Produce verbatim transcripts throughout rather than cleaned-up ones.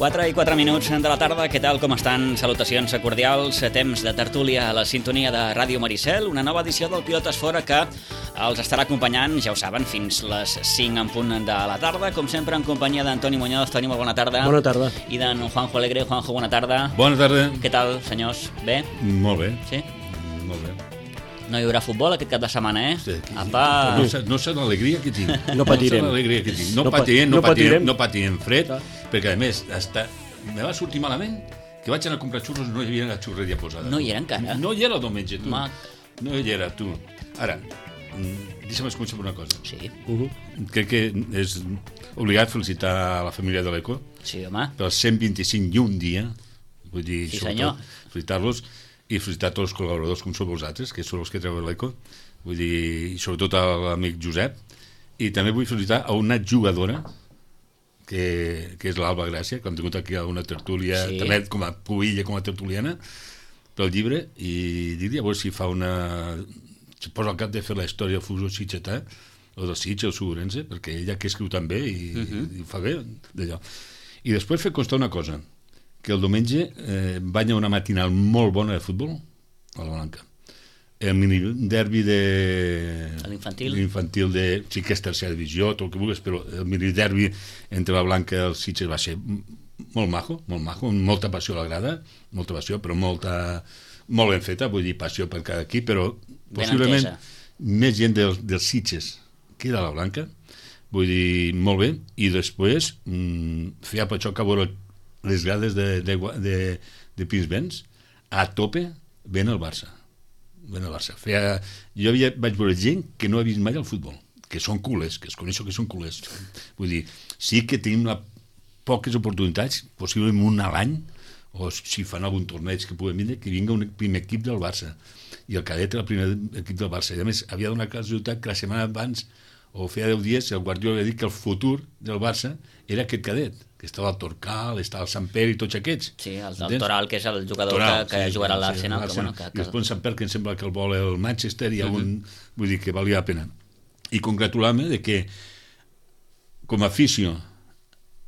quatre i quatre minuts de la tarda, què tal, com estan? Salutacions cordials, temps de tertúlia a la sintonia de Ràdio Maricel, una nova edició del Pilotes Fora que els estarà acompanyant, ja ho saben, fins les cinc en punt de la tarda, com sempre en companyia d'Antoni Muñoz. Toni, molt bona tarda. Bona tarda. I d'en Juanjo Alegre. Juanjo, bona tarda. Bona tarda. Què tal, senyors? Bé? Molt bé. Sí? Molt bé. No hi haurà futbol aquest cap de setmana, eh? Sí, Apa! No, no sé l'alegria que tinc. No patirem. No sé l'alegria que tinc. No, No patirem, no, no patirem, patirem. no patirem fred, perquè a més, hasta... me va sortir malament que vaig anar a comprar xurros i no hi havia la xurreria posada. No hi era encara? No hi era el diumenge, tu. Mac. No hi era, tu. Ara, mm, deixa'm començar per una cosa. Sí, Uh -huh. Crec que és obligat felicitar a la família de l'Eco sí, home. pels cent vint-i-cinc i un dia, vull dir, Sí, sobretot, senyor. felicitar-los i felicitar tots els col·laboradors com sou vosaltres, que sou els que treuen l'Eco, vull dir, i sobretot a l'amic Josep, i també vull felicitar a una jugadora que, que és l'Alba Gràcia, que hem tingut aquí a una tertúlia, Sí. també com a pubilla, com a tertuliana, pel llibre, i dir-li a veure si fa una... si posa al cap de fer la història del futbol sitgetà, o del Sitges, o Segurense, perquè ella que escriu també i, uh -huh. i ho fa bé d'allò. I després fer constar una cosa, que el diumenge eh, banya una matinal molt bona de futbol a la Blanca. El mini derbi de... L'infantil. L'infantil de... sí que és tercera divisió, tot el que vulguis, però el mini derbi entre la Blanca i el Sitges va ser molt majo, molt majo, amb molta passió a la grada, molta passió, però molta... molt ben feta, vull dir, passió per cada equip, però Ben possiblement entesa. més gent del, dels Sitges que de la Blanca, vull dir, molt bé, i després mmm, feia per això que a veure les grades de, de, de, de Pinsbens a tope ven el Barça ven el Barça. Feia, jo havia, vaig veure gent que no ha vist mai el futbol, que són culers, que es coneixo que són culers, vull dir, sí que tenim una, poques oportunitats, possiblement un a l'any, o si fan algun torneig que puguem vindre, que vinga un primer equip del Barça, i el cadet era el primer equip del Barça, i a més havia donat casualitat que la setmana abans o feia deu dies el Guardiola havia dit que el futur del Barça era aquest cadet, que estava al Torcal, estava al Sant Pere i tots aquests. Sí, el, el Toral, que és el jugador Toral, que, que sí, jugarà a sí, l'Arsenal. sí, que, bueno, que, I que... després en Sant Pere, que em sembla que el vol el Manchester, i algun, Mhm. uh -huh. vull dir que valia la pena. I congratular-me de que com a afició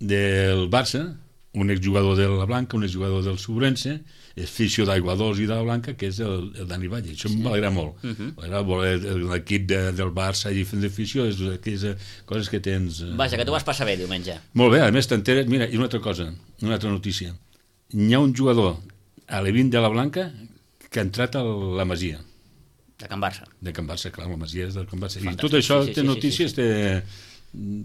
del Barça, un exjugador de la Blanca, un exjugador del Segurense, és afició d'Aigua Dols i de la Blanca, que és el, el Dani Valle. Això sí. m'alegra molt. Uh -huh. M'alegra l'equip de, del Barça i fent d'afició, és aquelles coses que tens... Eh... Vaja, que tu vas passar bé diumenge. Molt bé, a més t'enteres... Mira, i una altra cosa, una altra notícia. Hi ha un jugador a l'Evin de la Blanca que ha entrat a la Masia. De Can Barça. De Can Barça, clar, la Masia és del Can Barça. Fantàstic. I tot això Sí, sí, té sí, notícies, sí, sí. té...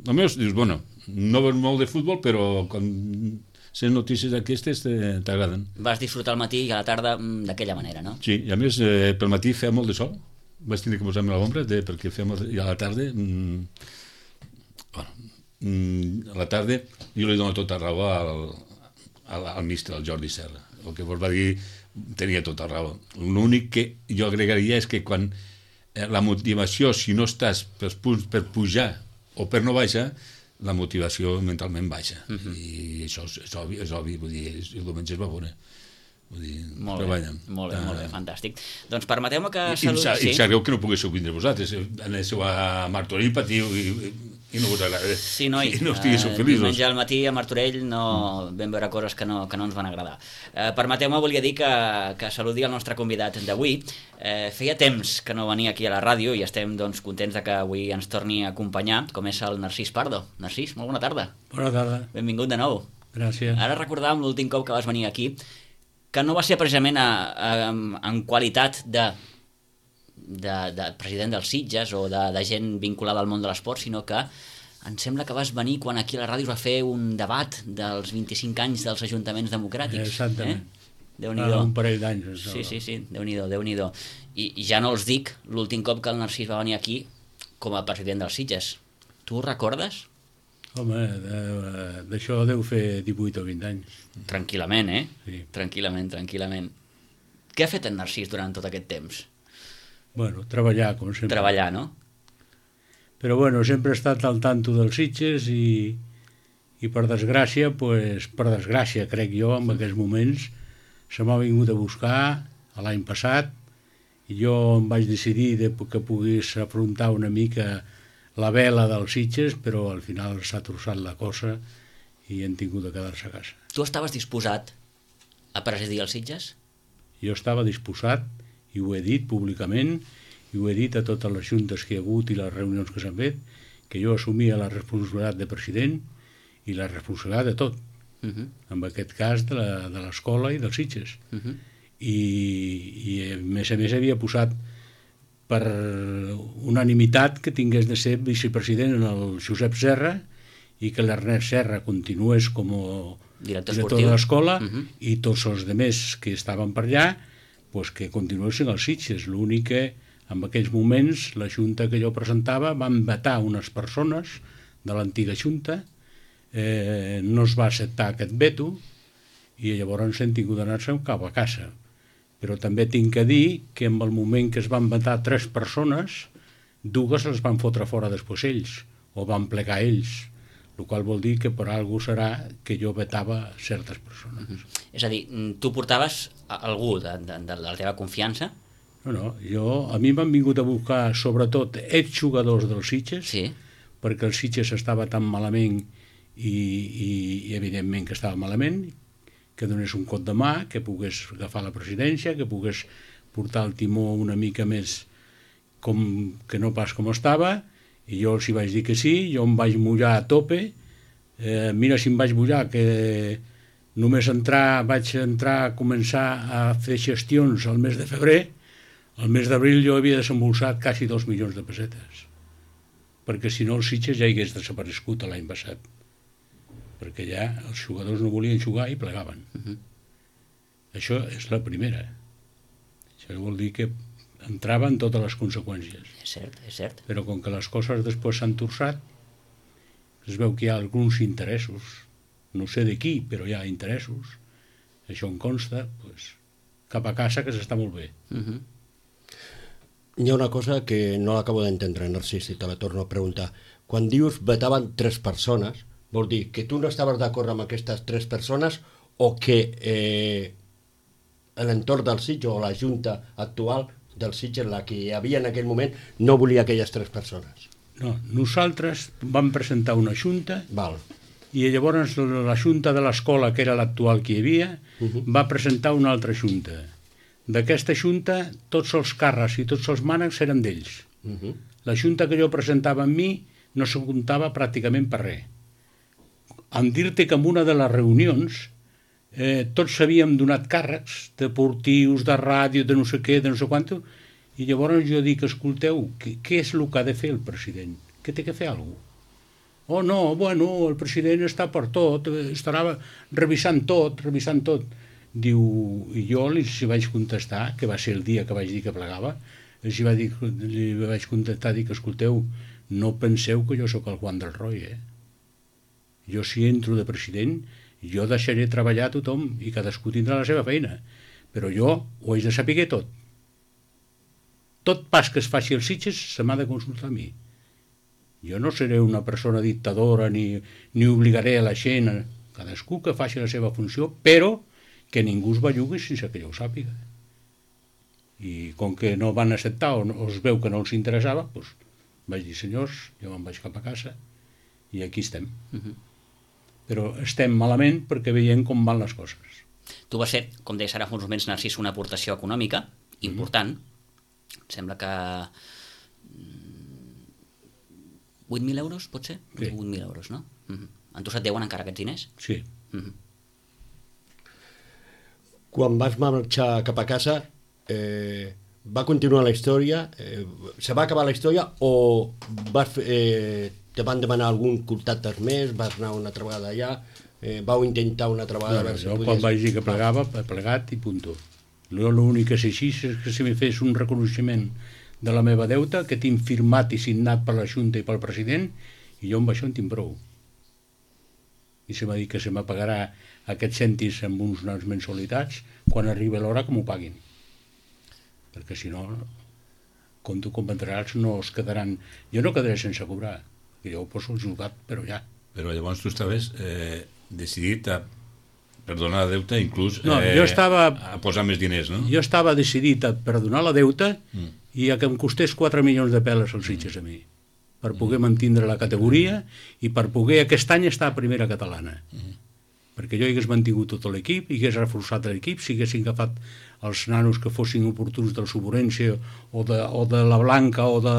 Almenys dius, bueno, no veus molt de futbol, però quan sents notícies d'aquestes t'agraden. Vas disfrutar al matí i a la tarda mm, d'aquella manera, no? Sí, i a més, eh, pel matí feia molt de sol, vaig tenir que posar-me a l'ombra de, perquè feia molt de... I a la tarda... Mm, bueno, mm, a la tarda jo li dono tota raó al, al, al míster, al Jordi Serra. El que vos va dir tenia tota raó. L'únic que jo agregaria és que quan eh, la motivació, si no estàs per punts per pujar o per no baixar, la motivació mentalment baixa. Uh -huh. I això és, és, obvi, és obvi, vull dir, el diumenge es va veure. Vull dir, Molt treballen. bé, molt bé, Ah. molt bé, fantàstic. Doncs permeteu-me que... I, Saludi... i, sí. i sabeu que no poguéssiu vindre vosaltres, aneu a Martorell, patiu i, i, i no us agrada. Sí, noi, I no estiguéssiu eh, feliços. diumenge al matí a Martorell no vam veure coses que no, que no ens van agradar. Eh, Permeteu-me, volia dir que, que saludi el nostre convidat d'avui. Eh, feia temps que no venia aquí a la ràdio i estem doncs, contents de que avui ens torni a acompanyar, com és el Narcís Pardo. Narcís, molt bona tarda. Bona tarda. Benvingut de nou. Gràcies. Ara recordàvem l'últim cop que vas venir aquí, que no va ser precisament a, a, en qualitat de, de, de president dels Sitges o de, de gent vinculada al món de l'esport, sinó que em sembla que vas venir quan aquí a la ràdio es va fer un debat dels vint-i-cinc anys dels ajuntaments democràtics. Exactament. Eh? Déu-n'hi-do. Fa un parell d'anys. Sí, sí, sí, Déu-n'hi-do, Déu-n'hi-do. I, I ja no els dic l'últim cop que el Narcís va venir aquí com a president dels Sitges. Tu ho recordes? Home, de- d'això deu fer divuit o vint anys. Tranquil·lament, eh? Sí. Tranquil·lament, tranquil·lament. Què ha fet en Narcís durant tot aquest temps? Bueno, treballar, com sempre. Treballar, no? Però bueno, sempre he estat al tanto dels Sitges i, i per desgràcia, pues, per desgràcia, crec jo, en aquests moments, se m'ha vingut a buscar l'any passat i jo em vaig decidir de, que pogués afrontar una mica la vela dels Sitges, però al final s'ha trossat la cosa i hem tingut de quedar-se a casa. Tu estaves disposat a presidir els Sitges? Jo estava disposat, i ho he dit públicament, i ho he dit a totes les juntes que hi ha hagut i les reunions que s'han fet, que jo assumia la responsabilitat de president i la responsabilitat de tot, uh -huh. en aquest cas de l'escola i dels Sitges. Uh -huh. I, I a més a més havia posat per unanimitat que tingués de ser vicepresident en el Josep Serra i que l'Ernest Serra continués com a director, director de l'escola, uh -huh. i tots els altres que estaven per allà pues, que continuessin els Sitges. L'únic que en aquells moments la junta que jo presentava van vetar unes persones de l'antiga junta, eh, no es va acceptar aquest veto i llavors hem tingut d'anar-se cap a casa. Però també tinc que dir que en el moment que es van vetar tres persones, dues les van fotre fora després ells, o van plegar ells, el qual vol dir que per algú serà que jo vetava certes persones. Uh -huh. És a dir, tu portaves algú de, de, de la teva confiança? No, no, jo, a mi m'han vingut a buscar sobretot exjugadors dels Sitges, sí. perquè el Sitges estava tan malament i, i, i evidentment que estava malament, que donés un cop de mà, que pogués agafar la presidència, que pogués portar el timó una mica més com, que no pas com estava, i jo els hi vaig dir que sí, jo em vaig mullar a tope, eh, mira si em vaig mullar, que només entrar, vaig entrar a començar a fer gestions al mes de febrer, al mes d'abril jo havia desembolsat quasi dos milions de pessetes, perquè si no els Sitges ja hagués desaparegut l'any passat, perquè ja els jugadors no volien jugar i plegaven. Uh -huh. Això és la primera. Això vol dir que entraven totes les conseqüències. És cert, és cert. Però com que les coses després s'han torçat, es veu que hi ha alguns interessos, no sé de qui, però hi ha interessos, això en consta, pues, cap a casa, que s'està molt bé. Uh -huh. Hi ha una cosa que no l'acabo d'entendre, Narcís, i te la torno a preguntar. Quan dius vetaven tres persones, vol dir que tu no estaves d'acord amb aquestes tres persones o que eh, l'entorn del Sitges o la junta actual del Sitges, la que hi havia en aquell moment, no volia aquelles tres persones? No, nosaltres vam presentar una junta. Val. I llavors la junta de l'escola, que era l'actual que hi havia, uh -huh. va presentar una altra junta. D'aquesta junta, tots els càrrecs i tots els mànecs eren d'ells. Uh -huh. La junta que jo presentava amb mi no se comptava pràcticament per res. En dir-te que en una de les reunions eh, tots s'havíem donat càrrecs deportius, de ràdio, de no sé què, de no sé quant, i llavors jo dic, escolteu, què, què és el que ha de fer el president? Què té que fer algú? Oh, no, bueno, el president està per tot, estarà revisant tot, revisant tot. Diu, i jo li vaig contestar, que va ser el dia que vaig dir que plegava, li vaig, dir, li vaig contestar, dic, escolteu, no penseu que jo sóc el Juan del Roy, eh? Jo si entro de president, jo deixaré treballar a tothom i cadascú tindrà la seva feina, però jo ho haig de saber tot. Tot pas que es faci als Sitges se m'ha de consultar a mi. Jo no seré una persona dictadora ni, ni obligaré a la gent, cadascú que faci la seva funció, però que ningú es bellugui sense que jo ho sàpiga. I com que no van acceptar o, no, o es veu que no els interessava, doncs vaig dir, senyors, jo me'n vaig cap a casa i aquí estem. Uh -huh. Però estem malament perquè veiem com van les coses. Tu vas ser, com deies ara fa uns moments, Narcís, una aportació econòmica important. Mm-hmm. Em sembla que vuit mil euros, pot ser? Sí. vuit mil euros, no? Mm-hmm. En tu se't deuen encara aquests diners? Sí. Mm-hmm. Quan vas marxar cap a casa, eh, va continuar la història? Eh, se va acabar la història o vas fer... Eh, te van demanar algun contacte més, vas anar una altra vegada allà, eh, vau intentar una altra vegada... No, no, jo quan vaig dir que plegava, he plegat i punto. L'únic que sé així és que si me fes un reconeixement de la meva deuta, que tinc firmat i signat per la Junta i pel president, i jo amb això en tinc prou. I se m'ha dit que se m'apagarà aquests cèntims amb uns unes mensualitats quan arribi l'hora que m'ho paguin. Perquè si no, com tu comprendràs, no es quedaran... Jo no quedaré sense cobrar, que jo ho poso jugat, però ja. Però llavors tu estaves eh, decidit a perdonar la deuta, inclús no, eh, jo estava, a posar més diners, no? Jo estava decidit a perdonar la deuta mm. i a que em costés quatre milions de peles als Sitges a mi, per poder mm. mantindre la categoria i per poder aquest any estar a primera catalana. Mm. perquè jo hagués mantingut tot l'equip, hagués reforçat l'equip, si haguessin agafat els nanos que fossin oportuns del Suburense o de, o de la Blanca o de,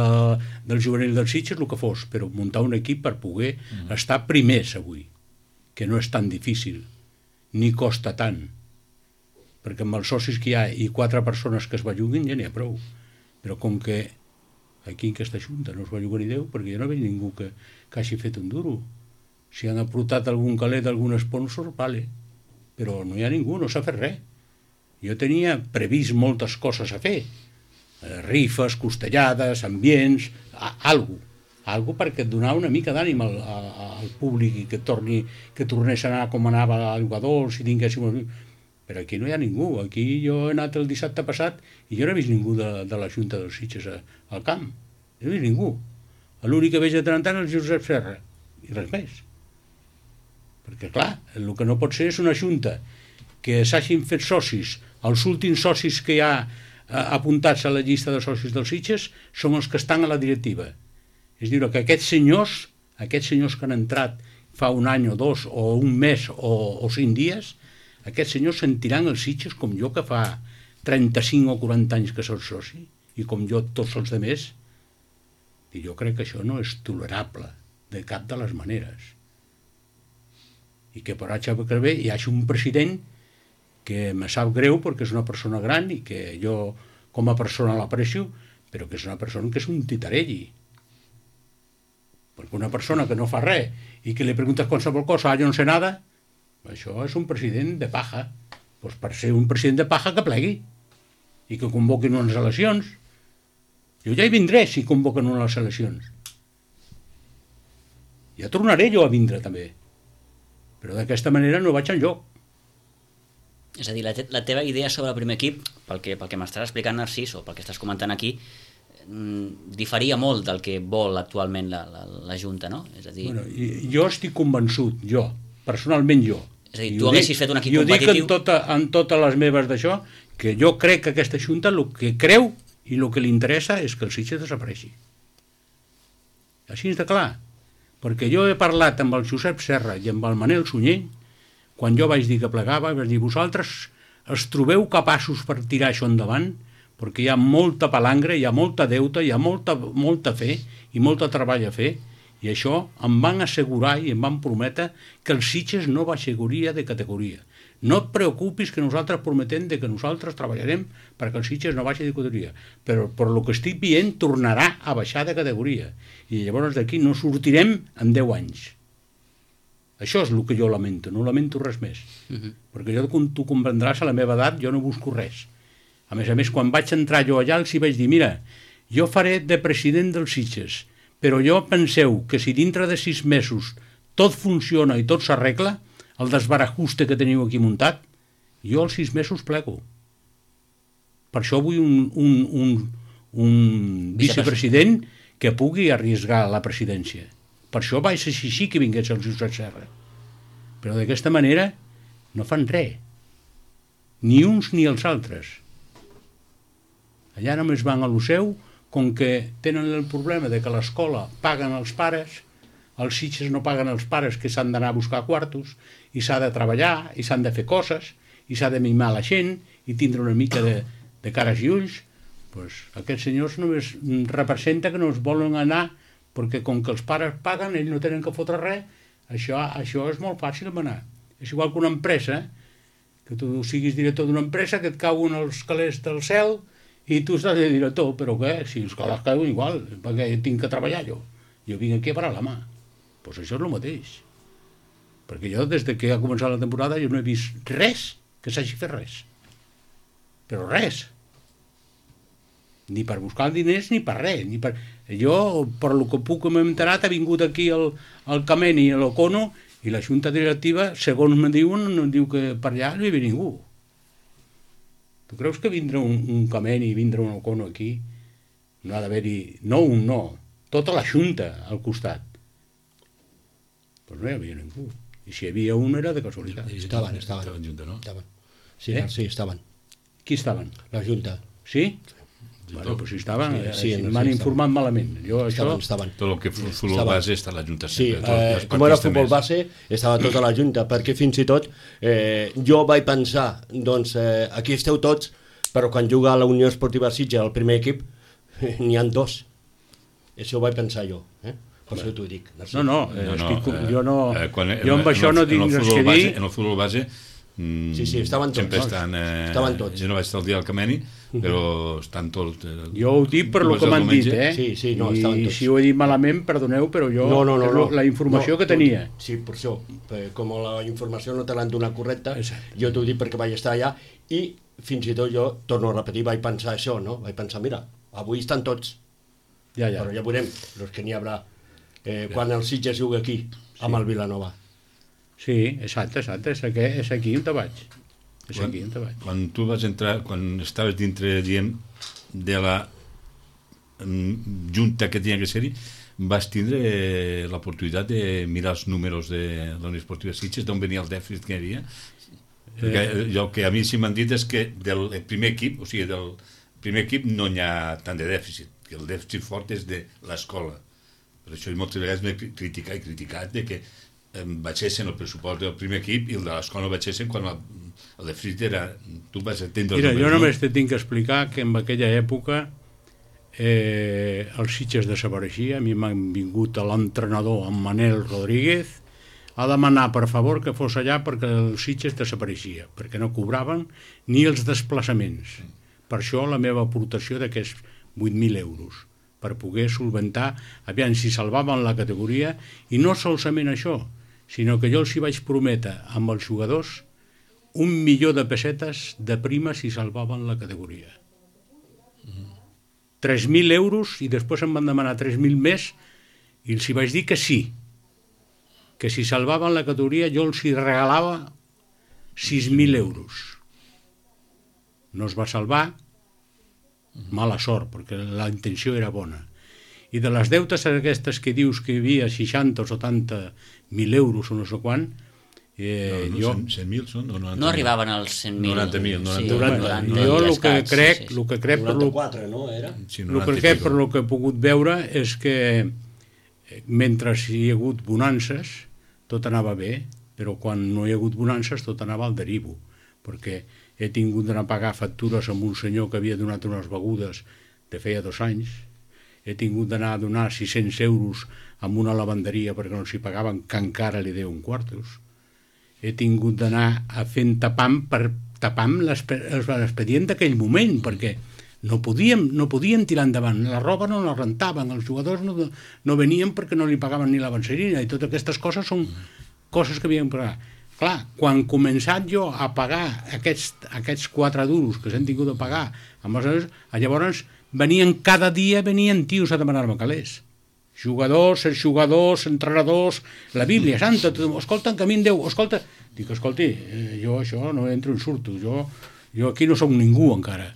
del juvenil dels Sitges, el que fos, però muntar un equip per poder mm. estar primers avui, que no és tan difícil, ni costa tant, perquè amb els socis que hi ha i quatre persones que es belluguin ja n'hi ha prou, però com que aquí en aquesta junta no es belluga ni Déu, perquè jo no veig ningú que, que hagi fet un duro. Si han aportat algun calet, algun sponsor, vale, però no hi ha ningú, no s'ha fet res. Jo tenia previst moltes coses a fer, eh, rifes, costellades, ambients, a, algo, algo perquè et donar una mica d'ànim al, al públic i que torni, que tornés a anar com anava al jugador, si tinguéssim... Però aquí no hi ha ningú. Aquí jo he anat el dissabte passat i jo no he vist ningú de, de la Junta dels Sitges a, al camp. No he vist ningú. L'únic que veig de tant en tant és el Josep Serra, i res més. Perquè, clar, el que no pot ser és una junta que s'hagin fet socis, els últims socis que hi ha apuntats a la llista de socis dels Sitges són els que estan a la directiva. És a dir, que aquests senyors, aquests senyors que han entrat fa un any o dos, o un mes o, o cinc dies, aquests senyors sentiran els Sitges com jo, que fa trenta-cinc o quaranta anys que soc soci, i com jo tots els altres. I jo crec que això no és tolerable de cap de les maneres. I que per això bé hi hagi un president que me sap greu perquè és una persona gran i que jo com a persona l'aprecio, però que és una persona que és un titarelli. Perquè una persona que no fa res i que li preguntes qualsevol cosa, ah, jo no sé nada, això és un president de paja. Doncs per ser un president de paja que plegui i que convoquin unes eleccions. Jo ja hi vindré si convoquen unes eleccions. Ja tornaré jo a vindre també. Però d'aquesta manera no vaig enlloc. És a dir, la, te la teva idea sobre el primer equip, pel que, pel que m'estàs explicant, Narcís, o pel que estàs comentant aquí, mmm, diferia molt del que vol actualment la, la, la Junta, no? És a dir... Bueno, jo estic convençut, jo, personalment jo. És a dir, tu haguessis fet un equip competitiu... Jo dic en, tota, en totes les meves d'això, que jo crec que aquesta Junta el que creu i el que li interessa és que el Sitges desapareixi. Així és de clar. Perquè jo he parlat amb el Josep Serra i amb el Manel Sunyer, quan jo vaig dir que plegava, vaig dir, vosaltres es trobeu capaços per tirar això endavant, perquè hi ha molta palangre, hi ha molta deuta, hi ha molta, molta fe i molta treball a fer, i això em van assegurar i em van prometre que el Sitges no baixaria de categoria. No et preocupis que nosaltres prometem de que nosaltres treballarem perquè el Sitges no baixi de categoria, però per el que estic veient tornarà a baixar de categoria i llavors d'aquí no sortirem en deu anys. Això és el que jo lamento, no lamento res més. Uh-huh. Perquè jo, com tu comprendràs, a la meva edat jo no busco res. A més a més, quan vaig entrar jo allà els hi vaig dir, mira, jo faré de president dels Sitges, però jo penseu que si dintre de sis mesos tot funciona i tot s'arregla, el desbarajuste que teniu aquí muntat, jo als sis mesos plego. Per això vull un, un, un, un vicepresident que pugui arriesgar la presidència. Per això vaig exigir que vingués el Josep Serra. Però d'aquesta manera no fan res. Ni uns ni els altres. Allà només van a lo seu, com que tenen el problema de que l'escola paguen els pares, els Sitges no paguen els pares que s'han d'anar a buscar quartos, i s'ha de treballar, i s'han de fer coses, i s'ha de mimar la gent, i tindre una mica de, de cares i ulls, pues, aquests senyors només representa que no es volen anar, perquè com que els pares paguen, ells no tenen que fotre res, això, això és molt fàcil manar. És igual que una empresa, que tu siguis director d'una empresa, que et cauen els calés del cel, i tu estàs de director, però què? Si els calés cauen igual, perquè tinc que treballar jo. Jo vinc aquí a parar la mà. Doncs pues això és el mateix. Perquè jo, des que ha començat la temporada, jo no he vist res que s'hagi fet res. Però res. Ni per buscar diners, ni per res. Ni per... Jo, per lo que puc m'he enterat, ha vingut aquí el, el Cameni i l'Ocono, i la junta directiva, segons me diuen, no diu que per allà no hi ve ningú. Tu creus que vindrà un, un Cameni i vindrà un Ocono aquí? No ha d'haver-hi... No un no. Tota la junta al costat. Doncs no hi havia ningú. I si hi havia un era de casualitat. Estaven, estaven. Estaven junta, no? Estaven. Sí, eh? sí, estaven. Qui estaven? La junta. Sí? Bueno, pues si estaven, Sí, sí, sí, sí, no, m'han sí, informat malament. Jo això... Estaven, estaven. Tot el que fu- futbol Estava. base està a l'Ajuntament. Sí, Tots eh, els com era partits futbol també. base, estava tota la Junta, perquè fins i tot eh, jo vaig pensar, doncs eh, aquí esteu tots, però quan juga a la Unió Esportiva Sitges, el primer equip, n'hi han dos. Això ho vaig pensar jo, eh? Per això t'ho dic. Narcís. No, no, eh, No, no, estic, eh, jo no... eh, quan- jo amb en això el- no en tinc el res futbol que base- dir. En el futbol base mm, Sí, sí, estaven tots. sempre estan... Eh, Estaven tots. Jo no vaig estar el dia del Cameni, però estan tots... Eh, Jo ho dic per tu lo vas que el m'han dit, diumenge? eh? Sí, sí, no, I estaven tots. si ho he dit malament, perdoneu, però jo... No, no, no, és no. lo- la informació no, que tenia. tot- Sí, per això. Eh, Com la informació no te l'han donat correcta, Exacte. jo t'ho dic perquè vaig estar allà i fins i tot jo, torno a repetir, vaig pensar això, no? Vaig pensar, mira, avui estan tots, Ja, ja. però ja veurem els que n'hi haurà eh, quan el Sitges juga aquí, amb el Vilanova. Sí, exacte, exacte. És aquí, és aquí on te vaig. És Quan, aquí on te vaig. quan tu vas entrar, quan estaves dintre, diem, de la mm, junta que tenia que ser-hi, vas tindre eh, l'oportunitat de mirar els números de la Unió Esportiva Sitges, d'on venia el dèficit que hi havia? Perquè eh, el que a mi sí m'han dit és que del primer equip, o sigui, del primer equip no hi ha tant de dèficit, que el dèficit fort és de l'escola. Per això moltes vegades m'he criticat i criticat de que eh, baixessin el pressupost del primer equip i el de l'escola no baixessin quan el, el dèficit era... Tu vas entendre els Mira, jo números, només te tinc que explicar que en aquella època eh, els Sitges desapareixia, a mi m'han vingut a l'entrenador, en Manel Rodríguez, a demanar per favor que fos allà perquè el Sitges desapareixia, perquè no cobraven ni els desplaçaments. Per això la meva aportació d'aquests vuit mil euros, per poder solventar, aviam si salvaven la categoria, i no solament això, sinó que jo els hi vaig prometre amb els jugadors un milió de pessetes de prima si salvaven la categoria. tres mil euros i després em van demanar tres mil més i els hi vaig dir que sí, que si salvaven la categoria jo els hi regalava sis mil euros. No es va salvar, mala sort, perquè la intenció era bona. I de les deutes aquestes que dius que hi havia seixanta o setanta mil euros o no sé quant, eh, no, no, jo... cent mil són? O noranta No mil? arribaven als cent mil. noranta mil, noranta mil. Durant, noranta jo i el que escaig, crec, sí, sí. el que crec per lo, noranta-quatre, no, era? Sí, el noranta que i crec pico. per lo que he pogut veure és que eh, mentre hi ha hagut bonances tot anava bé, però quan no hi ha hagut bonances tot anava al derivo, perquè he tingut d'anar a pagar factures amb un senyor que havia donat unes begudes de feia dos anys, he tingut d'anar a donar sis-cents euros amb una lavanderia perquè no s'hi pagaven, que encara li deuen quartos, he tingut d'anar a fent tapam per tapam l'expedient d'aquell moment, perquè no podíem, no podíem tirar endavant, la roba no la rentaven, els jugadors no, no venien perquè no li pagaven ni la benserina, i totes aquestes coses són coses que havíem de pagar. Clar, quan començat jo a pagar aquests, aquests quatre duros que s'han tingut de pagar, amb els, llavors venien cada dia, venien tios a demanar-me calés. Jugadors, jugadors, entrenadors, la Bíblia Santa, tot, escolta, que a mi em deu, escolta... Dic, escolti, eh, jo això no entro en surto, jo, jo aquí no soc ningú encara.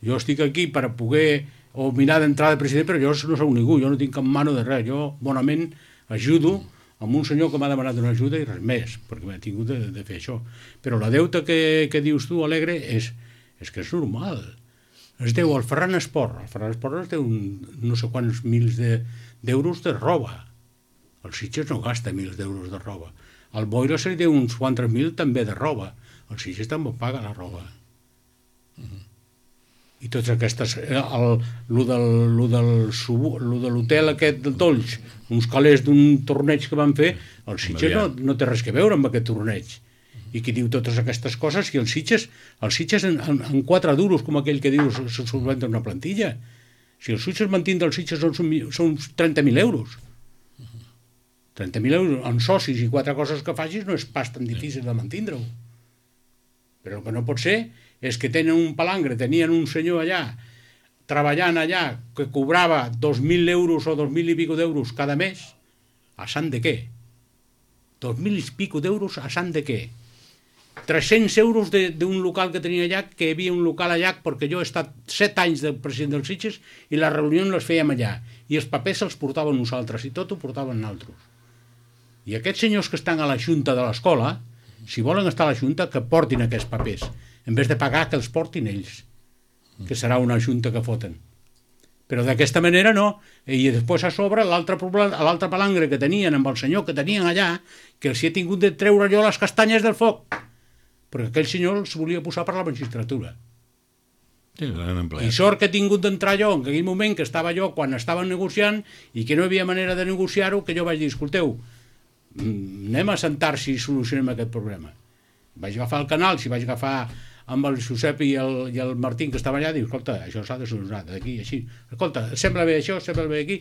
Jo estic aquí per poder o mirar d'entrada de president, però jo no soc ningú, jo no tinc cap mano de res, jo bonament ajudo amb un senyor que m'ha demanat una ajuda i res més, perquè m'ha tingut de, de fer això. Però la deuta que, que dius tu, Alegre, és, és que és normal. Es deu al Ferran Esport. El Ferran Esport es deu un, no sé quants mils de, d'euros de roba. El Sitges no gasta mils d'euros de roba. El Boira se li deu uns quatre mil també de roba. El Sitges també paga la roba. Uh-huh. I totes aquestes... El, lo del, lo del, lo de l'hotel aquest de Tolls, uns calés d'un torneig que van fer, el Sitges no, no té res que veure amb aquest torneig. I qui diu totes aquestes coses, i els Sitges, els Sitges en, en, en quatre duros, com aquell que diu, se solventa una plantilla. Si els Sitges mantindre els Sitges són, són trenta mil euros. trenta mil euros en socis i quatre coses que facis no és pas tan difícil de mantindre-ho. Però el que no pot ser és que tenen un palangre, tenien un senyor allà, treballant allà, que cobrava dos mil euros o dos mil i pico d'euros cada mes, a sant de què? Dos mil i pico d'euros a sant de què? tres-cents euros d'un local que tenia allà, que hi havia un local allà, perquè jo he estat set anys de president dels Sitges i les reunions les fèiem allà, i els papers els portaven nosaltres, i tot ho portaven altres. I aquests senyors que estan a la junta de l'escola, si volen estar a la junta, que portin aquests papers, en vez de pagar que els portin ells, que serà una junta que foten. Però d'aquesta manera no. I després a sobre l'altre l'altre palangre que tenien amb el senyor que tenien allà, que els hi he tingut de treure jo les castanyes del foc, perquè aquell senyor els volia posar per la magistratura. Sí, I sort que he tingut d'entrar jo en aquell moment que estava jo quan estaven negociant i que no hi havia manera de negociar-ho, que jo vaig dir, escolteu, anem a sentar-se i solucionem aquest problema. Vaig agafar el canal, si vaig agafar amb el Josep i el, i el Martín que estava allà, diu, escolta, això s'ha de solucionar d'aquí, així, escolta, sembla bé això, sembla bé aquí,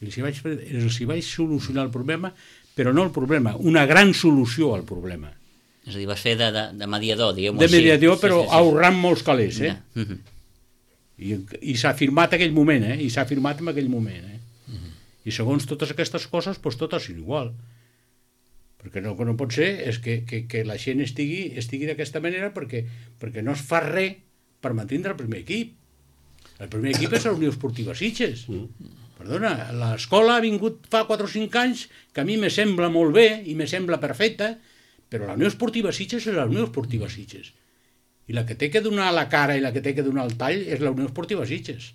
i els hi vaig, els hi vaig solucionar el problema, però no el problema, una gran solució al problema. És a dir, vas fer de, de, de mediador, diguem-ho així. De mediador, però sí, sí, sí. ahorrant molts calés, eh? Ja. Uh -huh. I, i s'ha firmat aquell moment, eh? I s'ha firmat en aquell moment, eh? Uh -huh. I segons totes aquestes coses, doncs totes són igual. Perquè el que no pot ser és que, que, que la gent estigui, estigui d'aquesta manera perquè, perquè no es fa res per mantindre el primer equip. El primer equip és la Unió Esportiva Sitges. Mm. Perdona, l'escola ha vingut fa quatre o cinc anys que a mi me sembla molt bé i me sembla perfecta, però la Unió Esportiva Sitges és la Unió Esportiva Sitges. I la que té que donar la cara i la que té que donar el tall és la Unió Esportiva Sitges.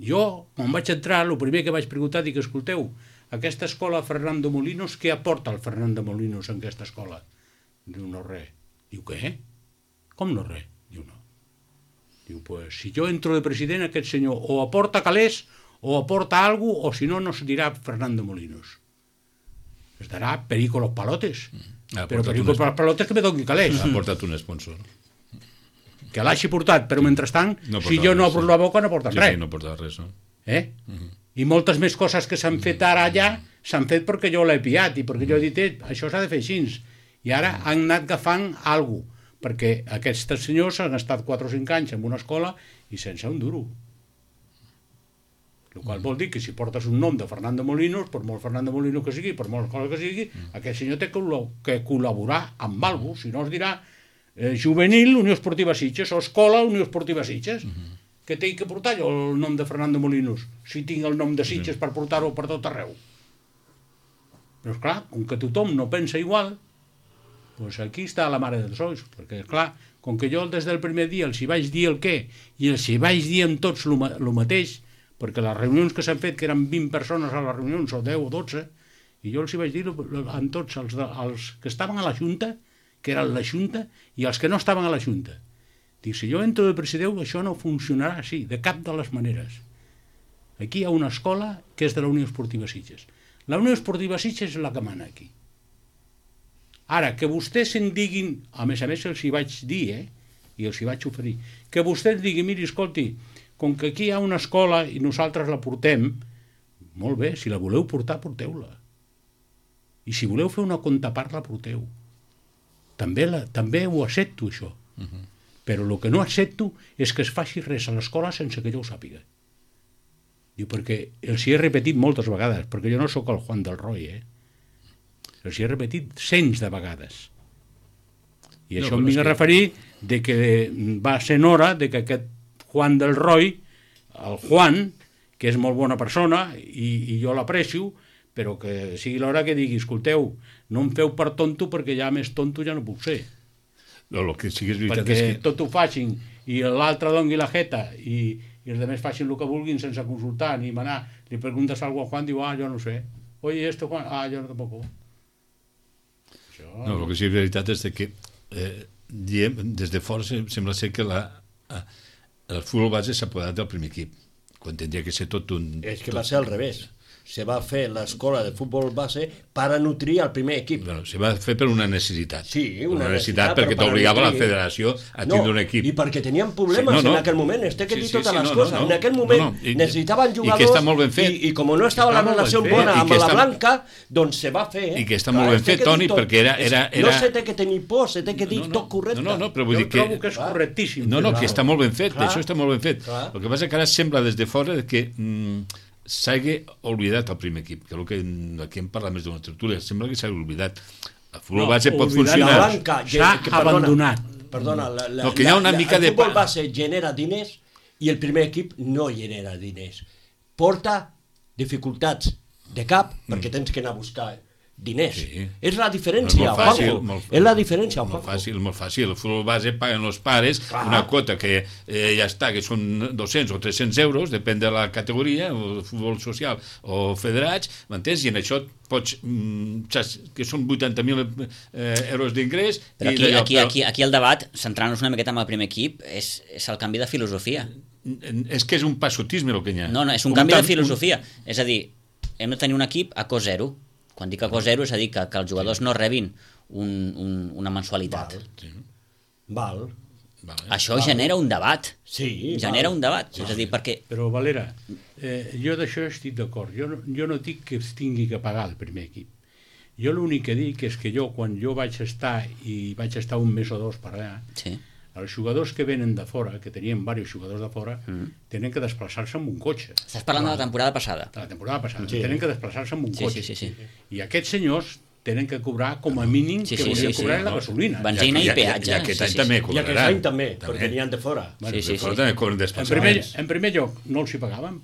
Jo, quan vaig entrar, el primer que vaig preguntar, dic, escolteu, aquesta escola Fernando Molinos, què aporta el Fernando Molinos en aquesta escola? Diu, no res. Diu, què? Com no res? Diu, no. Diu, pues, si jo entro de president, aquest senyor o aporta calés, o aporta alguna cosa, o si no, no se dirà Fernando Molinos. Es darà Perico los Palotes. Mm. Però Perico los Palotes que me doni calés. Ha portat un sponsor. Que l'hagi portat, però mentrestant, no si jo no obro sí. la boca, no porta sí, res. Sí, no porta res, no? Eh? Uh -huh. I moltes més coses que s'han fet ara allà s'han fet perquè jo l'he piat i perquè jo he dit, eh, això s'ha de fer així. I ara han anat agafant alguna cosa, perquè aquests senyors han estat quatre o cinc anys en una escola i sense un duro. El qual vol dir que si portes un nom de Fernando Molinos, per molt Fernando Molinos que sigui, per molt cosa que sigui, aquest senyor té que col·laborar amb alguna cosa, si no es dirà eh, Juvenil, Unió Esportiva Sitges, o Escola, Unió Esportiva Sitges. Que tinc que portar jo el nom de Fernando Molinos, si tinc el nom de Sitges per portar-ho per tot arreu. Però esclar, com que tothom no pensa igual, doncs aquí està la mare dels ulls, perquè esclar, com que jo des del primer dia els hi vaig dir el què, i els hi vaig dir amb tots el mateix, perquè les reunions que s'han fet, que eren vint persones a les reunions, o deu o dotze, i jo els hi vaig dir amb tots els, de, els que estaven a la Junta, que eren la Junta, i els que no estaven a la Junta. Dic, si jo entro de president, això no funcionarà així, de cap de les maneres. Aquí hi ha una escola que és de la Unió Esportiva Sitges. La Unió Esportiva Sitges és la que mana aquí. Ara, que vostès se'n diguin, a més a més els hi vaig dir, eh, i els hi vaig oferir, que vostès diguin, miri, escolti, com que aquí hi ha una escola i nosaltres la portem, molt bé, si la voleu portar, porteu-la. I si voleu fer una contrapart, la porteu. També, la, també ho accepto, això. Uh -huh. Però el que no accepto és que es faci res a l'escola sense que jo ho sàpiga. Diu, perquè els hi he repetit moltes vegades, perquè jo no sóc el Juan del Roy, eh? Els hi he repetit cents de vegades. I no, això em vinc a referir de que va ser hora de que aquest Juan del Roy, el Juan, que és molt bona persona i, i jo l'aprecio, però que sigui l'hora que digui, escolteu, no em feu per tonto perquè ja més tonto ja no puc ser. No, el que sí que és veritat perquè és que... tot ho facin i l'altre doni la jeta i, i els altres facin el que vulguin sense consultar ni manar. Li preguntes algo a Juan, diu, ah, jo no sé. Oye, esto, Juan, ah, jo no tampoc. Això... No, el que sí que és veritat és que eh, diem, des de fora sembla ser que la, eh, el futbol base s'ha apoderat del primer equip, quan tindria que ser tot un... És que tot... va ser al revés. Se va fer l'escola de futbol base per a nutrir el primer equip. Bueno, se va fer per una necessitat. Sí, una, una necessitat, necessitat perquè t'obligava la federació a tindre no, un equip. I perquè tenien problemes sí, no, no. en aquell moment. Es té que dir sí, sí, totes sí, les no, coses. No, no. En aquell moment no, no. I, necessitaven jugadors i, que està molt ben fet. I, i com no estava la relació bona amb la està... Blanca, doncs se va fer. I que està molt ben fet, Toni, perquè era, era, era... No se té que tenir por, se té que dir no, no, tot correcte. No, no, no, però vull jo dir que... trobo que és correctíssim. No, no, que està molt ben fet, això està molt ben fet. Clar. El que passa que ara sembla des de fora que... Mm, s'hagi oblidat el primer equip, que és el que aquí hem parlat més d'una tertúlia, sembla que s'ha oblidat. El futbol no, base pot funcionar. S'ha abandonat. Perdona, la, la, no, que hi ha una la, mica el de... El futbol base genera diners i el primer equip no genera diners. Porta dificultats de cap, mm. perquè tens que anar a buscar diners. Sí. És la diferència, Molt fàcil, Juanjo. molt, És la diferència, molt Juanjo. fàcil, molt fàcil. El futbol base paguen els pares Clar. una quota que eh, ja està, que són dos-cents o tres-cents euros, depèn de la categoria, o futbol social o federats, m'entens? I en això pots, mm, saps, que són vuitanta mil eh, euros d'ingrés. Però i aquí, d'allò, aquí, però- aquí, aquí el debat, centrant-nos una miqueta en el primer equip, és, és el canvi de filosofia. És que és un passotisme el que hi ha. No, no, és un Un canvi de tant- filosofia. És a dir, hem de tenir un equip a cost zero. Quan dic a cost zero és a dir que, que els jugadors no rebin un, un, una mensualitat. Val. Sí. Val. Vale. Això genera un debat. Sí, Genera val. un debat. És a dir, perquè... Però, Valera, eh, jo d'això estic d'acord. Jo, no, jo no dic que es tingui que pagar el primer equip. Jo l'únic que dic és que jo, quan jo vaig estar, i vaig estar un mes o dos per allà, Sí. els jugadors que venen de fora, que tenien diversos jugadors de fora, Mm. tenen que desplaçar-se amb un cotxe. Estàs parlant de la temporada passada. De la temporada passada. Sí. Tenen que desplaçar-se amb un Sí, cotxe. sí, sí, sí. I aquests senyors tenen que cobrar com a mínim Sí, que sí, volien sí, sí. cobrar la No. gasolina. Van- Benzina i I, peatge, I, i aquest sí, any sí, també sí. I aquest cobraran. any també, perquè n'hi han de fora. Bueno, Sí, sí, de fora sí. també cobren En primer, desplaçaments. en primer lloc, no els hi pagàvem.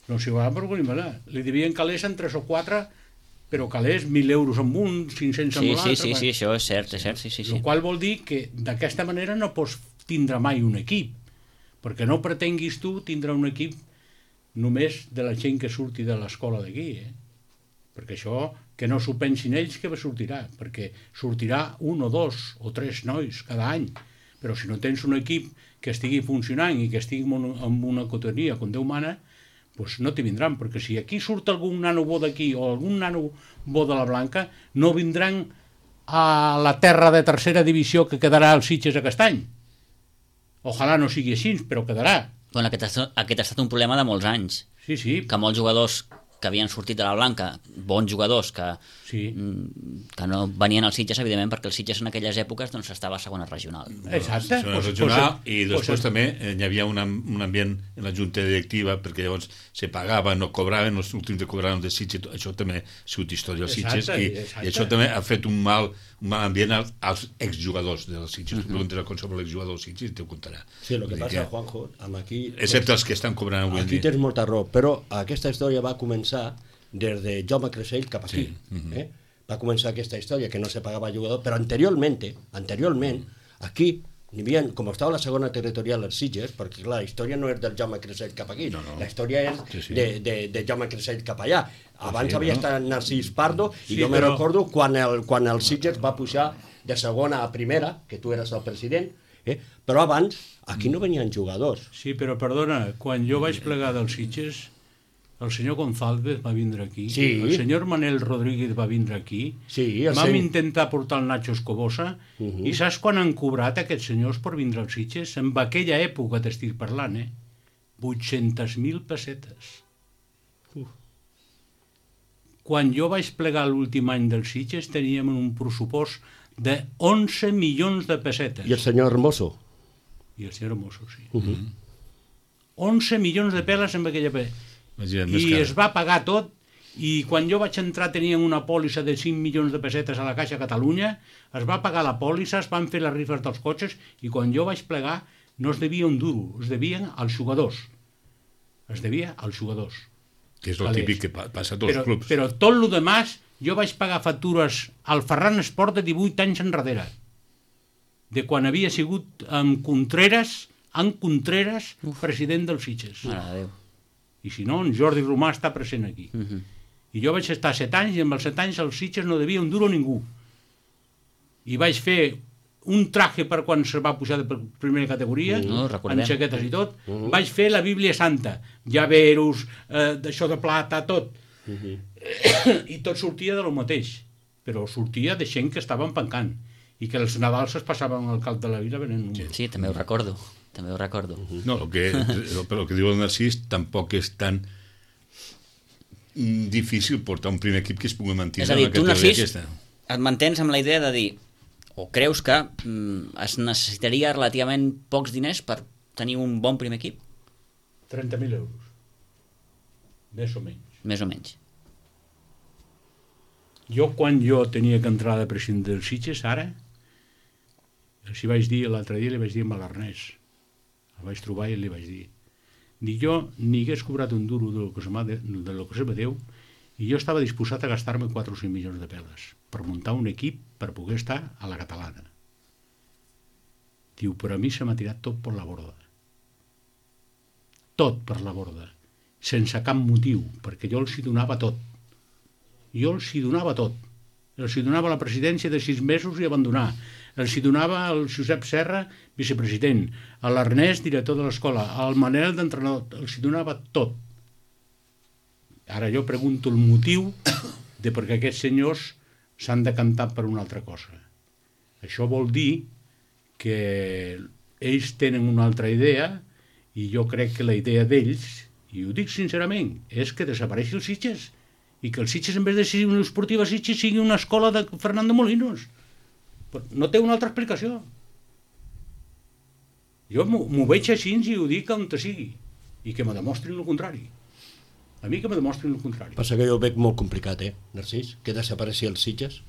No els hi pagàvem per volum, li devien calés en tres o quatre, però calés mil euros amb un, cinc-cents amb Sí, l'altre. sí, sí, sí, això és cert, és cert, sí, sí, sí. El qual vol dir que d'aquesta manera no pots tindre mai un equip, perquè no pretenguis tu tindre un equip només de la gent que surti de l'escola d'aquí, eh? Perquè això, que no s'ho pensin ells, que sortirà, perquè sortirà un o dos o tres nois cada any, però si no tens un equip que estigui funcionant i que estigui amb una cotonia com Déu mana, doncs no t'hi vindran, perquè si aquí surt algun nano bo d'aquí o algun nano bo de la Blanca, no vindran a la terra de tercera divisió que quedarà als Sitges aquest any. Ojalà no sigui així, però quedarà. Bueno, aquest, ha estat- aquest ha estat un problema de molts anys, Sí, sí, que molts jugadors que havien sortit de la Blanca, bons jugadors que, sí. mm, que no venien als Sitges, evidentment, perquè el Sitges en aquelles èpoques doncs, estava a segona regional. Exacte. Segona Pues- regional, pues- i després pues- també eh, hi havia una, un ambient en la junta directiva, perquè llavors se pagava, no cobraven, els últims que cobraven de Sitges, això també ha sigut història dels Sitges, Exacte, i, exacte. i això també ha fet un mal, un mal ambient als, als exjugadors dels Sitges. Tu preguntes a qualsevol exjugador dels Sitges i t'ho contarà. Sí, el que Vull dir passa, Juanjo, amb aquí... Excepte els que estan cobrant avui en Aquí dia. tens molta raó, però aquesta història va començar des de Jaume Creixell cap aquí. Sí, mhm. eh? Va començar aquesta història que no se pagava jugador, però anteriorment, anteriorment, aquí n'hi havia, com estava la segona territorial als Sitges, perquè clar, la història no és del Jaume Creixell cap aquí, No, no. la història és Sí, sí. de, de, de Jaume Creixell cap allà. Abans sí, havia no? estat Narcís Pardo, i Sí, jo me però- recordo quan el, quan el Sitges va pujar de segona a primera, que tu eres el president, eh? però abans aquí no venien jugadors. Sí, però perdona, quan jo vaig plegar dels Sitges, el senyor González va vindre aquí, Sí. el senyor Manel Rodríguez va vindre aquí, Sí, el vam sen- intentar portar el Nacho Escobosa, Uh -huh. i saps quan han cobrat aquests senyors per vindre als Sitges? En aquella època t'estic parlant, eh? vuit-centes mil pessetes. Uf. Quan jo vaig plegar l'últim any dels Sitges teníem un pressupost de onze milions de pessetes. I el senyor Hermoso. I el senyor Hermoso, sí. Uh -huh. onze milions de peles en aquella pe... Imagina't, més I cara. es va pagar tot, i quan jo vaig entrar tenien una pòlissa de cinc milions de pessetes a la Caixa Catalunya, es va pagar la pòlissa, es van fer les rifes dels cotxes, i quan jo vaig plegar no es devia un duro, es devien als jugadors. Es devia als jugadors. Que és el Calés. típic que pa- passa a tots Però, els clubs. però tot el demás, jo vaig pagar factures al Ferran Esport de divuit anys enrere, de quan havia sigut amb Contreras, en Contreras, president dels Sitges. Mare de Déu. I si no, en Jordi Romà està present aquí. Uh -huh. I jo vaig estar set anys, i amb els set anys els Sitges no devia un duro a ningú. I vaig fer un traje per quan se va pujar de primera categoria, No, recordem. amb jaquetes i tot. Vaig fer la Bíblia Santa, llaveros, eh, d'això de plata, tot. I tot sortia de lo mateix, però sortia de gent que estaven pencant i que els Nadals es passaven al cap de la vila venent números. Sí, també ho recordo. També ho recordo. No, el que, el, però el que diu el Narcís tampoc és tan mm, difícil portar un primer equip que es pugui mantenir És a dir, en la tu, categoria Narcís, aquesta. et mantens amb la idea de dir, o creus que mm, es necessitaria relativament pocs diners per tenir un bon primer equip? trenta mil euros. Més o menys. Més o menys. Jo, quan jo tenia que entrar de president dels Sitges, ara, els hi vaig dir, l'altre dia li vaig dir a l'Ernest, el vaig trobar i li vaig dir, dic jo ni hagués cobrat un duro de lo que se, m'ha de, de lo que se me deu, I jo estava disposat a gastar-me quatre o cinc milions de peles per muntar un equip per poder estar a la catalana. Diu, però a mi se m'ha tirat tot per la borda. Tot per la borda. Sense cap motiu, perquè jo els hi donava tot. Jo els hi donava tot. Els hi donava la presidència de sis mesos i abandonar. Els hi donava el Josep Serra, vicepresident, a l'Ernest, director de l'escola, al Manel, d'entrenador. Els hi donava tot. Ara jo pregunto el motiu de per què aquests senyors s'han decantat per una altra cosa. Això vol dir que ells tenen una altra idea i jo crec que la idea d'ells, i ho dic sincerament, és que desapareixi el Sitges i que el Sitges, en vez de ser una esportiva Sitges, sigui una escola de Fernando Molinos. No té una altra explicació. Jo m'ho veig així i ho dic on sigui i que me demostrin el contrari. A mi que me demostrin el contrari. Passa que jo ho veig molt complicat, eh, Narcís? Que desapareixi els Sitges.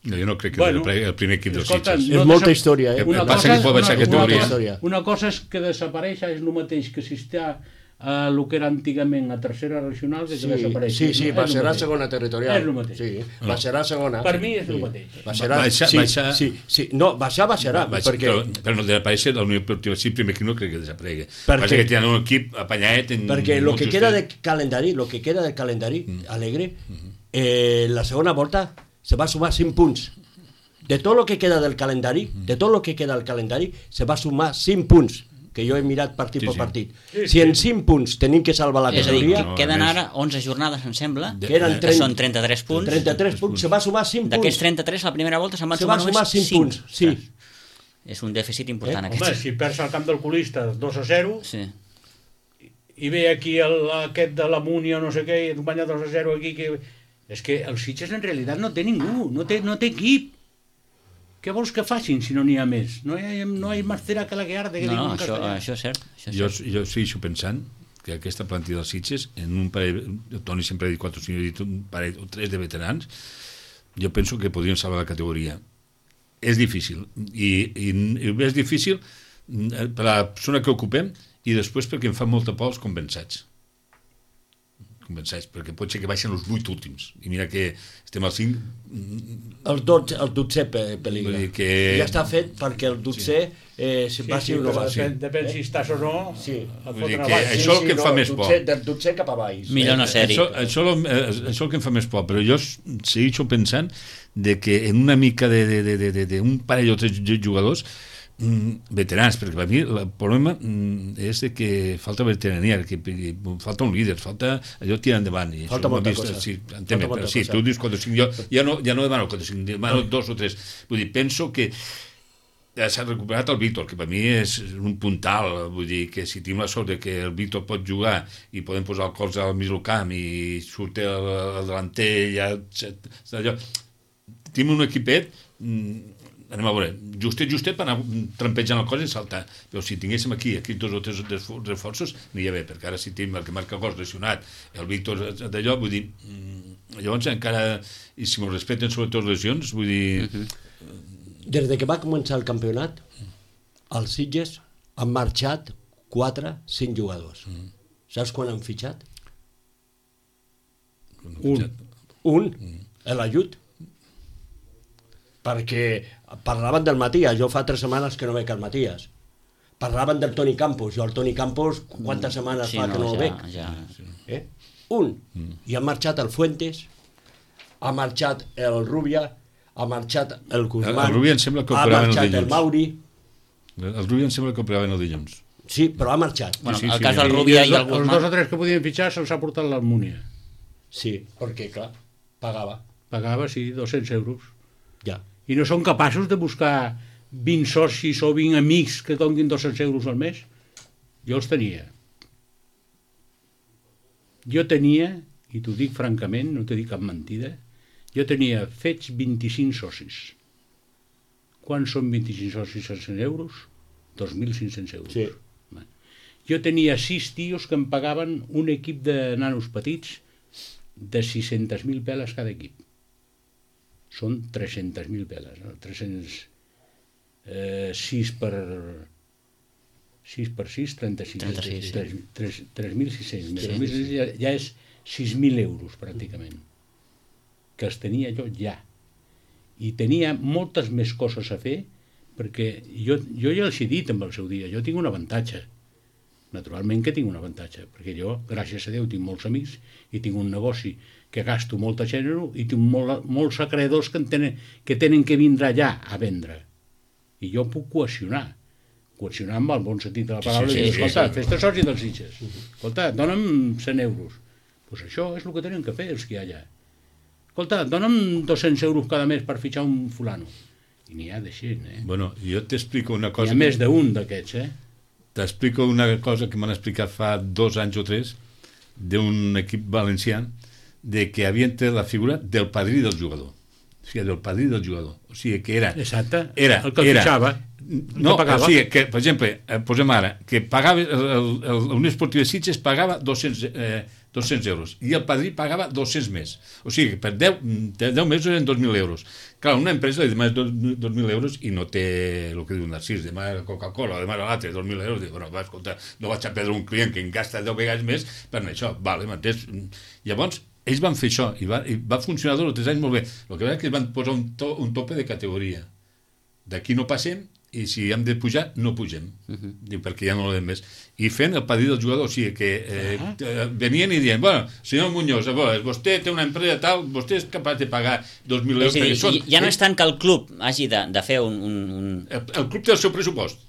No, jo no crec que bueno, el primer equip dels escolta, Sitges. No és molta història, eh? Una passa cosa, que pot baixar una, categoria. Una cosa, una cosa és que desapareix, és el mateix que si està a el que era antigament a tercera regional, que sí, desapareix. Sí, sí, baixarà a segona territorial. És el mateix. Sí, baixarà a segona. Per mi és el sí. mateix. Baixarà, baixa, sí, baixa... Sí, sí. No, baixar, baixarà. Baixa, perquè... però, però no desapareix la Unió Esportiva, sí, primer que no crec que desaparegui. Perquè... Passa que tenen un equip apanyadet... En perquè el que queda de calendari, lo que queda de calendari, mm. alegre, eh, la segona volta se va sumar cinc punts. De tot el que queda del calendari, de tot el que queda del calendari, se va sumar cinc punts, que jo he mirat partit sí, per partit. Sí, sí. Si en cinc punts tenim que salvar la categoria... És a dir, que queden ara onze jornades, em sembla, que, eren que són trenta-tres punts. trenta-tres punts, se va sumar cinc punts. D'aquests trenta-tres, la primera volta se'n van se sumar, va sumar cinc punts. Sí. És un dèficit important, eh? aquest. Home, si perds al camp del Colista dos a zero, sí. i ve aquí el, aquest de la Múnia o no sé què, i et guanya dos a zero aquí, que... és que el Sitges en realitat no té ningú, no té, no té equip. Què vols que facin si no n'hi ha més? No hi ha, no hi ha més cera que la que arde. Que no, no, això, això és cert. Això és jo, cert. jo segueixo pensant que aquesta plantilla dels Sitges, en un parell, el Toni sempre ha dit quatre o cinc, ha dit un parell o tres de veterans, jo penso que podrien salvar la categoria. És difícil, i, i, i és difícil per la persona que ocupem i després perquè em fa molta por els compensats. compensats, perquè pot ser que baixen els vuit últims i mira que estem al cinc. El dotze, el dotzè pel·lícula que... ja està fet perquè el dotzè sí. eh, si sí, passi sí, o no passi depèn, depèn eh? si estàs o no sí. Vull dir que això és el que em fa no, més por dotzè, del dotzè cap a baix millor no ser-hi això, això, això és el que em fa més por, però jo segueixo pensant de que en una mica de, de, de, de, de, de un parell o tres jugadors mm, veterans, perquè per mi el problema mm, és de que falta veterania, que falta un líder, falta allò tirar endavant. I falta molta vist, cosa. Sí, entenc, però, sí, tu dius quatre o cinc, jo ja no, ja no demano quatre o cinc, demano dos o tres. Vull dir, penso que s'ha recuperat el Víctor, que per mi és un puntal, vull dir que si tenim la sort de que el Víctor pot jugar i podem posar el colze al mig del camp i surt el, el delanter ja, allò, tenim un equipet, anem a veure, justet, justet per anar trampejant el cos i saltar, però si tinguéssim aquí, aquí dos o tres reforços, aniria bé, perquè ara si tenim el que marca cos lesionat, el Víctor d'allò, vull dir, llavors encara, i si m'ho respecten sobretot lesions, vull dir... Uh-huh. Des de que va començar el campionat, els Sitges han marxat quatre, cinc jugadors. Uh-huh. Saps quan han fitxat? Un. Un, uh-huh. l'ajut. Perquè parlaven del Matías, jo fa tres setmanes que no veig el Matías. Parlaven del Toni Campos, jo el Toni Campos quantes setmanes sí, fa no, que no ja, el veig? Ja. Eh? Un. Mm. I ha marxat el Fuentes, ha marxat el Rubia, ha marxat el Guzmán, el Rubia em sembla que ha marxat el, el Mauri. El Rubia em sembla que operaven el dilluns. Sí, però ha marxat. Bueno, sí, sí, el sí, cas sí. del Rubia i, i el Els Guzmán... dos o tres que podien fitxar se'ls ha portat l'Almúnia. Sí, perquè, clar, pagava. Pagava, sí, dos-cents euros. Ja. I no són capaços de buscar vint socis o vint amics que donguin dos-cents euros al mes? Jo els tenia. Jo tenia, i t'ho dic francament, no t'ho dic cap mentida, jo tenia fets vint-i-cinc socis. Quan són vint-i-cinc socis a cent euros? dos mil cinc-cents euros. Sí. Jo tenia sis tios que em pagaven un equip de nanos petits de sis-centes mil peles cada equip. Són tres-centes mil peles, no? tres-cents sis per sis per sis, trenta-sis, trenta-sis, tres mil sis-cents. Ja, ja és sis mil euros pràcticament, que els tenia jo ja. I tenia moltes més coses a fer, perquè jo, jo ja els he dit en el seu dia, jo tinc un avantatge. Naturalment que tinc un avantatge, perquè jo, gràcies a Déu, tinc molts amics i tinc un negoci que gasto molta gènere i tinc molt, molts acreedors que tenen, que tenen que vindre allà a vendre. I jo puc coaccionar. Coaccionar amb el bon sentit de la paraula. Sí, sí, sí, i dir, escolta, sí, sí. fes-te soci dels Sitges. Escolta, dona'm cent euros. Doncs pues això és el que tenen que fer els que hi ha allà. Escolta, dona'm dos-cents euros cada mes per fitxar un fulano. I n'hi ha d'així, eh? Bueno, jo t'explico una cosa... Hi ha més d'un d'aquests, eh? T'explico una cosa que m'han explicat fa dos anys o tres d'un equip valencià de que havien tret la figura del padrí del jugador. O sigui, del padrí del jugador. O sigui, que era... Exacte, era, el que el era, fitxava. No, o sigui, que, per exemple, eh, posem ara, que pagava, el, el, el Unió Esportiva de Sitges pagava dos-cents, eh, dos-cents euros i el padrí pagava dos-cents més. O sigui, per deu, deu mesos eren dos mil euros. Clar, una empresa li demana dos mil euros i no té el que diu Narcís, demana Coca-Cola, demana l'altre, dos mil euros, diu, bueno, va, escolta, no vaig a perdre un client que em gasta deu vegades més per això, vale, m'entens? Llavors, ells van fer això i va, i va funcionar dos o tres anys molt bé. El que va és que van posar un, to, un tope de categoria. D'aquí no passem i si hem de pujar, no pugem. Uh-huh. Diu, perquè ja no l'hem més. I fent el padrí del jugador, o sigui que eh, uh-huh. venien i diuen, bueno, senyor Muñoz, vostè té una empresa tal, vostè és capaç de pagar dos mil euros. És a dir, ja no és tant que el club hagi de, de fer un... un, un... El, el club té el seu pressupost.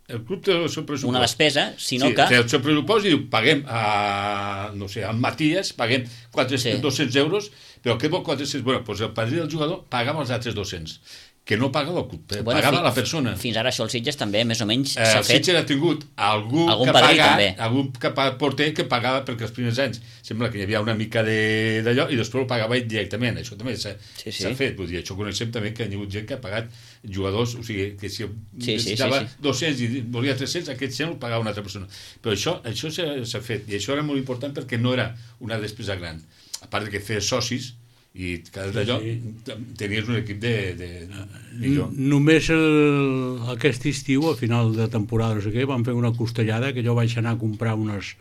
El club té el seu pressupost. Una despesa, sinó sí, que... té el seu pressupost i diu, paguem a, no sé, al Matías, paguem quatre-cents, sí. dos-cents euros, però què vol quatre-cents? Bueno, doncs el padrí del jugador pagava els altres dos-cents. Que no pagava el club, bueno, pagava fins, la persona. Fins ara això el Sitges també, més o menys, eh, s'ha fet... El Sitges ha tingut algú, algun que padrí, paga, també. algun que porter que pagava perquè els primers anys sembla que hi havia una mica d'allò i després ho pagava ell directament. Això també s'ha sí, sí. fet. Vull dir, això coneixem també que hi ha hagut gent que ha pagat jugadors, o sigui, que si sí, necessitava sí, sí, sí. dos-cents i volia tres-cents, aquest cent el pagava una altra persona. Però això això s'ha fet, i això era molt important perquè no era una despesa gran. A part de que feies socis, i cada d'allò sí, sí. tenies un equip de, de millor. Només el, aquest estiu, a final de temporada, no sé què, vam fer una costellada que jo vaig anar a comprar unes,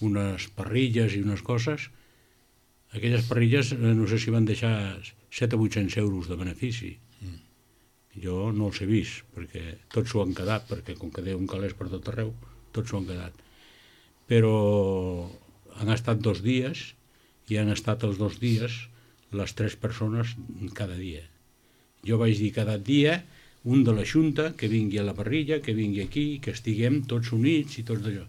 unes parrilles i unes coses. Aquelles parrilles, no sé si van deixar set o vuit-cents euros de benefici. Mm. Jo no els he vist, perquè tots s'ho han quedat, perquè com que Déu un calés per tot arreu, tots s'ho han quedat. Però han estat dos dies, i han estat els dos dies les tres persones cada dia. Jo vaig dir cada dia un de la Junta que vingui a la parrilla, que vingui aquí, que estiguem tots units i tots d'allò.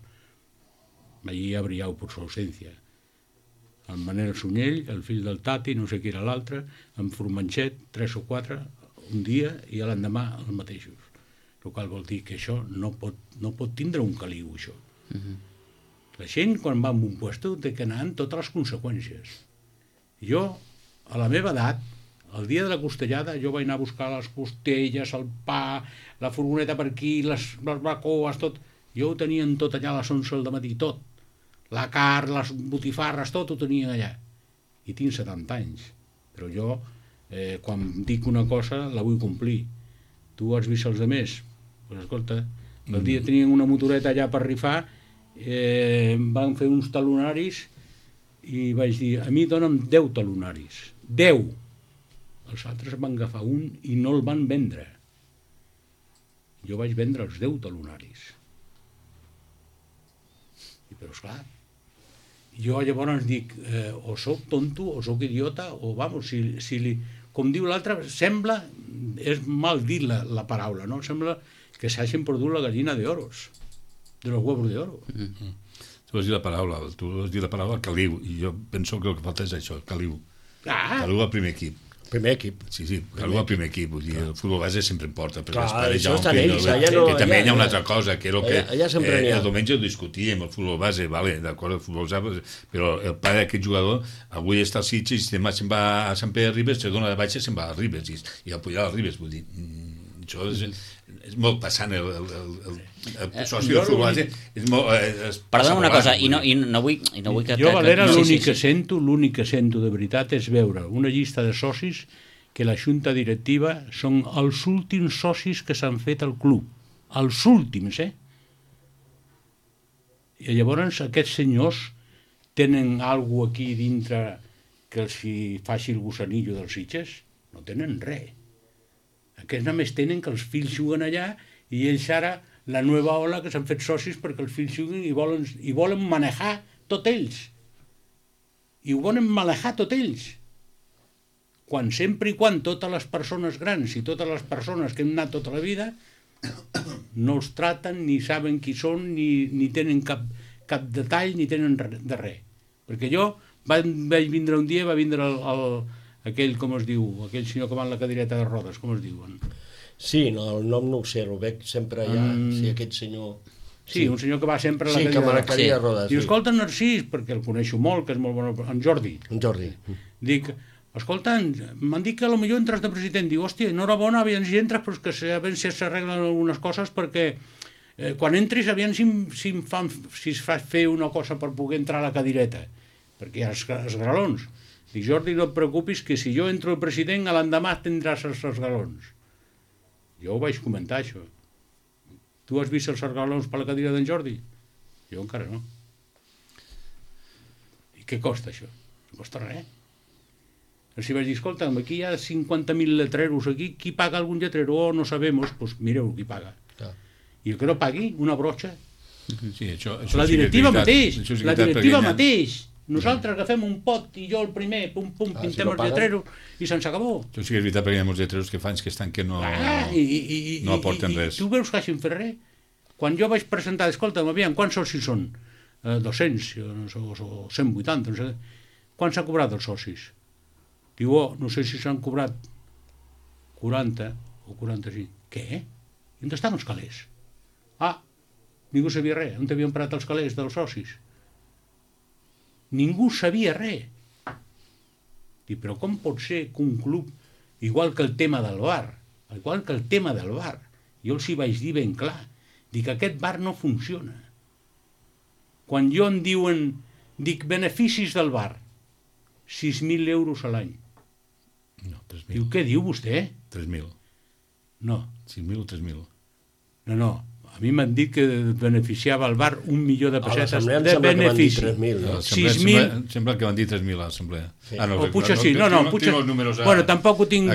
Allí ha brillat per su ausència. El Manel Sunyell, el fill del Tati, no sé qui era l'altre, en Formanxet, tres o quatre, un dia i l'endemà els mateixos. El qual vol dir que això no pot, no pot tindre un caliu, això. Uh-huh. La gent, quan va a un puesto, té que anar amb totes les conseqüències. Jo, a la meva edat, el dia de la costellada, jo vaig anar a buscar les costelles, el pa, la furgoneta per aquí, les, les bacoes, tot. Jo ho tenien tot allà a les onze del matí, tot. La carn, les botifarres, tot ho tenien allà. I tinc setanta anys. Però jo, eh, quan dic una cosa, la vull complir. Tu has vist els altres? Pues escolta, el dia tenien una motoreta allà per rifar, eh, van fer uns talonaris i vaig dir, a mi dona'm deu talonaris. deu. Els altres van agafar un i no el van vendre. Jo vaig vendre els deu talonaris. I però esclar, jo llavors dic, eh, o soc tonto, o soc idiota, o vamos, si, si li, com diu l'altre, sembla, és mal dir la, la paraula, no? Sembla que s'hagin perdut la gallina d'oros, de los huevos d'oro. Mm-hmm. Tu vas dir la paraula, tu vas dir la paraula caliu, i jo penso que el que falta és això, caliu. Ah. Caliu al primer equip. Primer equip. Sí, sí, caliu al primer equip. Vull dir, el futbol base sempre importa, perquè clar, els pares això ja estan ells, allà no... Que també allà, hi ha una altra cosa, que era el que allà, allà sempre eh, n'hi ha. el diumenge ho discutíem, el futbol base, vale, d'acord, el futbol base, però el pare d'aquest jugador avui està al Sitges i demà se'n va a Sant Pere de Ribes, se dona de baixa i se'n va a Ribes, i, i al Pujal a Ribes, vull dir... Això és, és molt passant el, el, el, el, el soci del futbol base és molt... És perdona una cosa, i no, i no vull, i no vull que... Jo, Valera, no, l'únic sí, sí, que sí. sento, l'únic que sento de veritat és veure una llista de socis que la junta directiva són els últims socis que s'han fet al club. Els últims, eh? I llavors aquests senyors tenen alguna aquí dintre que els hi faci el gusanillo dels Sitges? No tenen res. Aquests només tenen que els fills juguen allà i ells ara, la nova ola, que s'han fet socis perquè els fills juguen i volen, i volen manejar tot ells. I ho volen manejar tot ells. Quan sempre i quan totes les persones grans i totes les persones que hem anat tota la vida no els traten, ni saben qui són, ni, ni tenen cap, cap detall, ni tenen de res. Perquè jo vaig, vaig vindre un dia, va vindre el, el, aquell, com es diu, aquell senyor que va en la cadireta de rodes, com es diuen? Sí, no, el nom no ho sé, el veig sempre allà, mm. sí, aquest senyor... Sí, sí, un senyor que va sempre a la sí, cadireta de rodes. Sí, que rodes. Diu, escolta, Narcís, perquè el coneixo molt, que és molt bon, en Jordi. En Jordi. Dic, escolta, m'han dit que potser entres de president. Diu, hòstia, enhorabona, aviam si entres, però que aviam si s'arreglen algunes coses, perquè eh, quan entris, aviam si, si, em fan, si es fa fer una cosa per poder entrar a la cadireta, perquè hi ha els, els galons. Dic, Jordi, no et preocupis, que si jo entro el president, a l'endemà tindràs els, els galons. Jo ho vaig comentar, això. Tu has vist els galons per la cadira d'en Jordi? Jo encara no. I què costa, això? No costa res. Els hi vaig dir, escolta, aquí hi ha cinquanta mil letreros aquí, qui paga algun lletrero? Oh, no sabemos. Pues mireu qui paga. Ah. I el que no pagui, una broxa. Sí, això, això la directiva sí mateix, sí la directiva mateix. Nosaltres agafem un pot i jo el primer, pum, pum, ah, pintem si no els lletreros i se'ns acabó. Això sí que és veritat, perquè hi ha molts lletreros que fan que estan que no, ah, i, i, i, no aporten i, res. I tu veus que hagin fet res? Quan jo vaig presentar, escolta, aviam, quants socis són? Eh, dos-cents o, o cent vuitanta, no sé. Quants s'ha cobrat els socis? Diu, oh, no sé si s'han cobrat quaranta o quaranta-cinc. Què? I on estan els calés? Ah, ningú sabia res. On havien parat els calés dels socis? Ningú sabia res. Dic, però com pot ser que un club, igual que el tema del bar, igual que el tema del bar, jo els hi vaig dir ben clar, dic, aquest bar no funciona. Quan jo em diuen, dic, beneficis del bar, sis mil euros a l'any. No, tres mil. Diu, què diu vostè? tres mil. No. sis mil o tres mil. No, no. A mi m'han dit que beneficiava el bar un milió de pessetes de benefici. tres mil, no? sis mil... Sembla, sembla que van dir tres mil a l'assemblea. Sí. Ah, no, o potser sí. No, no, potser... Bueno, tampoc ho tinc,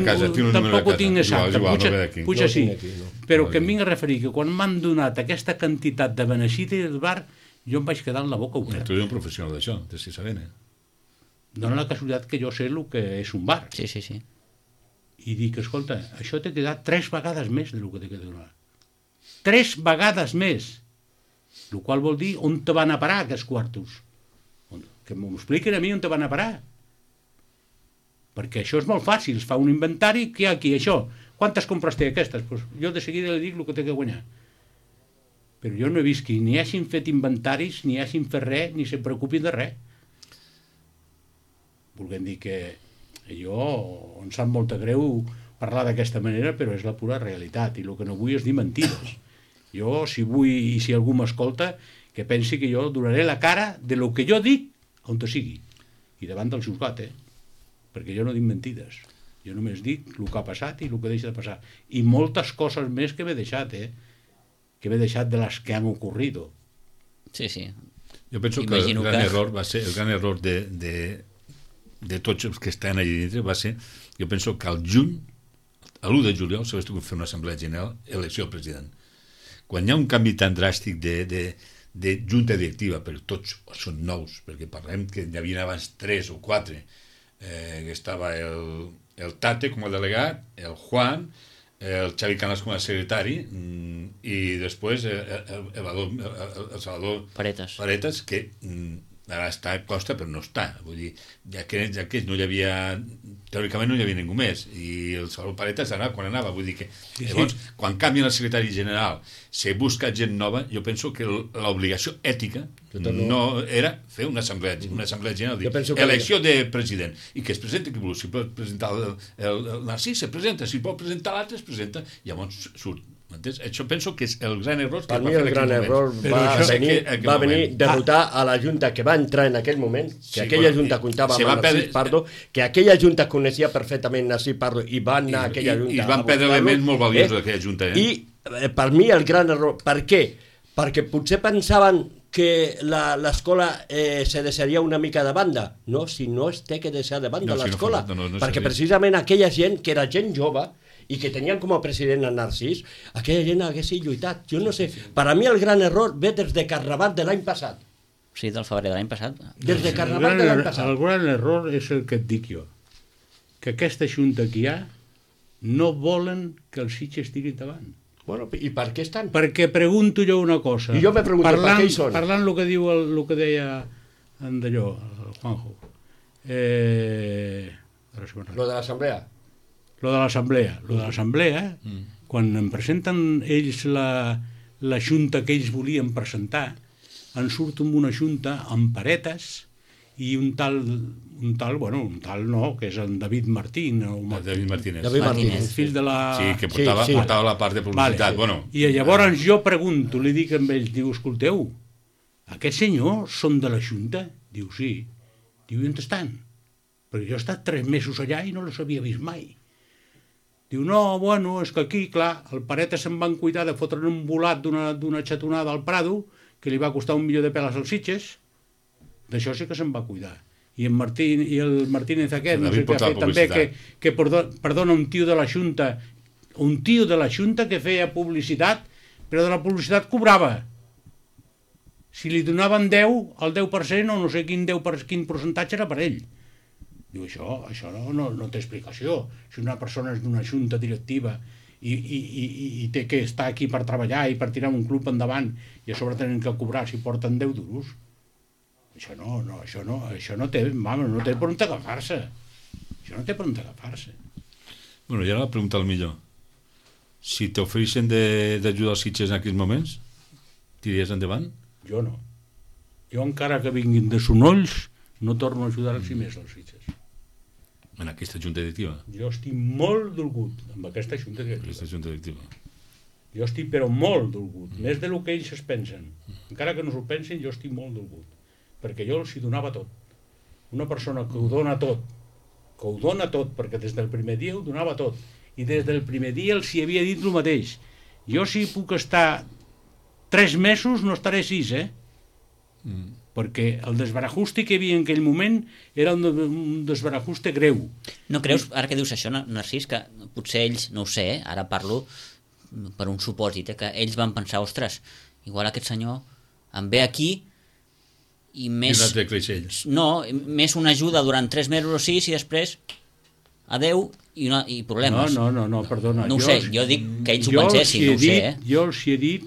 tampoc ho tinc exacte. Potser sí. Però que em vinc a referir que quan m'han donat aquesta quantitat de benefici del bar, jo em vaig quedar amb la boca oberta. Tu ets un professional d'això, de si sabent, eh? Dóna la casualitat que jo sé el que és un bar. Sí, sí, sí. I dic, escolta, això t'ha quedat tres vegades més del que t'ha quedat. Tres vegades més. El qual vol dir on te van a parar aquests quartos. Que m'ho expliquen a mi on te van a parar. Perquè això és molt fàcil. Es fa un inventari, què hi ha aquí? Això. Quantes compres té aquestes? Pues jo de seguida li dic el que té que guanyar. Però jo no he vist que ni hagin fet inventaris, ni hagin fet res, ni se preocupin de res. Volguem dir que jo em sap molt greu parlar d'aquesta manera, però és la pura realitat. I el que no vull és dir mentides. Jo, si vull, i si algú m'escolta, que pensi que jo donaré la cara de lo que jo dic on te sigui. I davant del juzgat, eh? Perquè jo no dic mentides. Jo només dic el que ha passat i el que deixa de passar. I moltes coses més que m'he deixat, eh? Que m'he deixat de les que han ocorrido. Sí, sí. Jo penso Imagino que el gran que... error va ser, el gran error de, de, de tots els que estan allà dintre va ser, jo penso que al juny, a l'u de juliol, s'hagués de fer una assemblea general, elecció del president. Quan hi ha un canvi tan dràstic de, de, de junta directiva, però tots són nous, perquè parlem que hi havia abans tres o quatre, eh, que estava el, el Tate com a delegat, el Juan, el Xavi Canals com a secretari, i després el, el, el, el, el, el Salvador Paretas, Paretas que ara està a costa però no està, vull dir, ja que, ja que no hi havia, teòricament no hi havia ningú més, i el Salvador Paretas ara quan anava, vull dir que sí, llavors sí. Quan canvia el secretari general se busca gent nova, jo penso que l'obligació ètica no, no era fer una assemblea, una assemblea general, dir, elecció de president, i que es presenti qui vulgui, si pot presentar el, el, el Narcís se presenta, si pot presentar l'altre es presenta, llavors surt. M'entens? Això penso que és el gran error que per va mi fer el gran error va venir, va venir derrotar a la Junta que va entrar en aquell moment, que sí, aquella bueno, Junta comptava amb Narcís perdre... Pardo, que aquella Junta coneixia perfectament Narcís Pardo i va anar a aquella Junta. I es van perdre elements molt valiosos eh? d'aquella Junta. Eh? I eh, per mi el gran error, per què? Perquè potser pensaven que l'escola eh, se deixaria una mica de banda. No, si no es té que deixar de banda No, si no l'escola, fa- no, no, no perquè serveix. precisament aquella gent que era gent jove i que tenien com a president a Narcís, aquella gent hagués lluitat. Jo no sé, per a mi el gran error ve des de Carnaval de l'any passat. Sí, del febrer de l'any passat. Des de El Carnaval gran, de l'any er- passat. el gran error és el que et dic jo, que aquesta junta que hi ha no volen que els Sitges tiri endavant. Bueno, i per què estan? Perquè pregunto jo una cosa. I jo me pregunto, per què hi són? Parlant el que diu el, el que deia en d'allò, el Juanjo. Eh, ara se me'n recorda. Lo de l'assemblea. Lo de l'assemblea. Lo de l'assemblea, mm. quan em presenten ells la, la junta que ells volien presentar, en surt amb una junta amb paretes i un tal, un tal, bueno, un tal no, que és en David Martín. O El David Martínez. David Martínez. Martínez. el fill de la... Sí, que portava, Sí, sí. portava la part de publicitat. Vale. Bueno, I llavors jo pregunto, li dic amb ells, diu, escolteu, aquests senyors són de la Junta? Diu, sí. Diu, i on estan? Perquè jo he estat tres mesos allà i no els havia vist mai. Diu, no, bueno, és que aquí, clar, el Pareta se'n van cuidar de fotre un volat d'una xatonada al Prado, que li va costar un milió de peles als Sitges, d'això sí que se'n va cuidar. I en Martín, i el Martínez aquest, no sé què ha fet també, que, que perdona, perdona, un tio de la Junta, un tio de la Junta que feia publicitat, però de la publicitat cobrava. Si li donaven deu, el deu per cent, o no sé quin, deu per, quin percentatge era per ell. Diu, això, això no, no, no té explicació. Si una persona és d'una junta directiva i, i, i, i té que estar aquí per treballar i per tirar un club endavant i a sobre tenen que cobrar si porten deu duros, això no, no, això no, això no té, mama, no té per on agafar-se. Això no té per on agafar-se. bueno, i ara la pregunta al millor. Si t'ofereixen d'ajudar els Sitges en aquells moments, tiraries endavant? Jo no. Jo encara que vinguin de Sonolls no torno a ajudar-los més als Sitges. En aquesta junta directiva? Jo estic molt dolgut amb aquesta junta directiva. Aquesta junta directiva. Jo estic però molt dolgut, mm. més del que ells es pensen. Encara que no s'ho pensin, jo estic molt dolgut. Perquè jo els hi donava tot. Una persona que ho dona tot, que ho dona tot, perquè des del primer dia ho donava tot. I des del primer dia els hi havia dit el mateix. Jo si puc estar tres mesos no estaré sis, eh? Mm. Perquè el desbarajuste que hi havia en aquell moment era un, un desbarajuste greu. No creus, ara que dius això, Narcís, que potser ells, no ho sé, eh, ara parlo per un supòsit, eh, que ells van pensar, ostres, igual aquest senyor em ve aquí i més... I l'altre creix ells. No, més una ajuda durant tres mesos o sis i després adeu i, una, i problemes. No, no, no, no perdona. No ho jo, sé, jo dic que ells ho jo pensessin, els hi no ho sé, dit, eh? Jo els hi he dit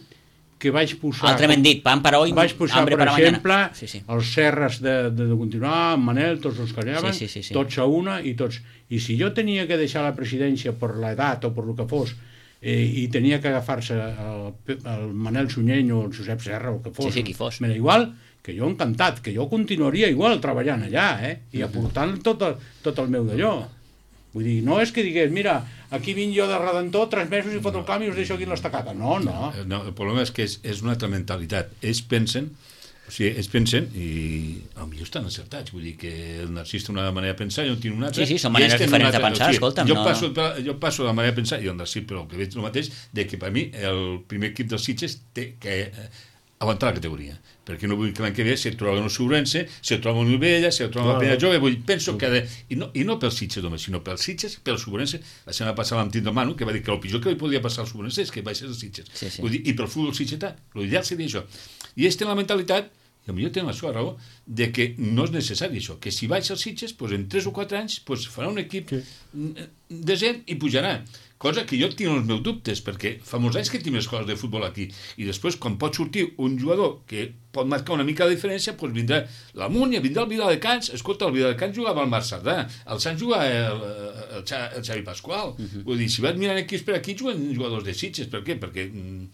que vaig posar... Altrament dit, pan para hoy, vaig posar, hambre per para exemple, mañana. Sí, sí. els Serres de, de, de continuar, en Manel, tots els que anaven, Sí, sí, sí, sí. tots a una i tots... I si jo tenia que deixar la presidència per l'edat o per el que fos, eh, i tenia que agafar-se el, el Manel Sunyeny o el Josep Serra o el que fos, Sí, sí, qui fos. m'era igual, que jo encantat, que jo continuaria igual treballant allà, eh? I aportant tot el, tot el meu d'allò. Vull dir, no és que digués, mira, aquí vinc jo de Redentor tres mesos i foto el canvi i us deixo aquí l'estacata. No, no. No, el problema és que és, és una altra mentalitat. Ells pensen, o sigui, ells pensen, i potser estan encertats, vull dir que el Narcís té una manera de pensar i jo tinc una altra. Sí, sí, són maneres i ells tenen diferents una de altra. pensar, O sigui, escolta'm, jo no- passo, jo passo la manera de pensar, i el Narcís, però el que veig el mateix, de que per mi el primer equip dels Sitges té que eh, aguantar la categoria, perquè no vull que l'any que ve si et troba un Sobrense, si et troba un Novella, si et troba una Penya Jove, vull, penso que ha de, i, no, i no pels Sitges només, sinó pels Sitges, pel Sobrense. La setmana passada amb Tito Manu, que va dir que el pitjor que li podia passar al Sobrense és que baixés els Sitges. Sí, sí. Vull dir, i pel futbol sitgetà, l'ideal seria això. I ells tenen la mentalitat, i potser tenen la seva raó, de que no és necessari això, que si baixa els Sitges, doncs en tres o quatre anys doncs farà un equip sí. decent i pujarà. Cosa que jo tinc els meus dubtes, perquè fa molts anys que tinc més coses de futbol aquí, i després, quan pot sortir un jugador que pot marcar una mica de diferència, doncs vindrà la Múnia, vindrà el Viladecans. Escolta, el Viladecans jugava al Marc Cerdà, el Sant jugava el, el, el Xavi Pasqual. Uh -huh. Vull dir, si vas mirant equips per aquí, juguen jugadors de Sitges. Per què? Perquè mm,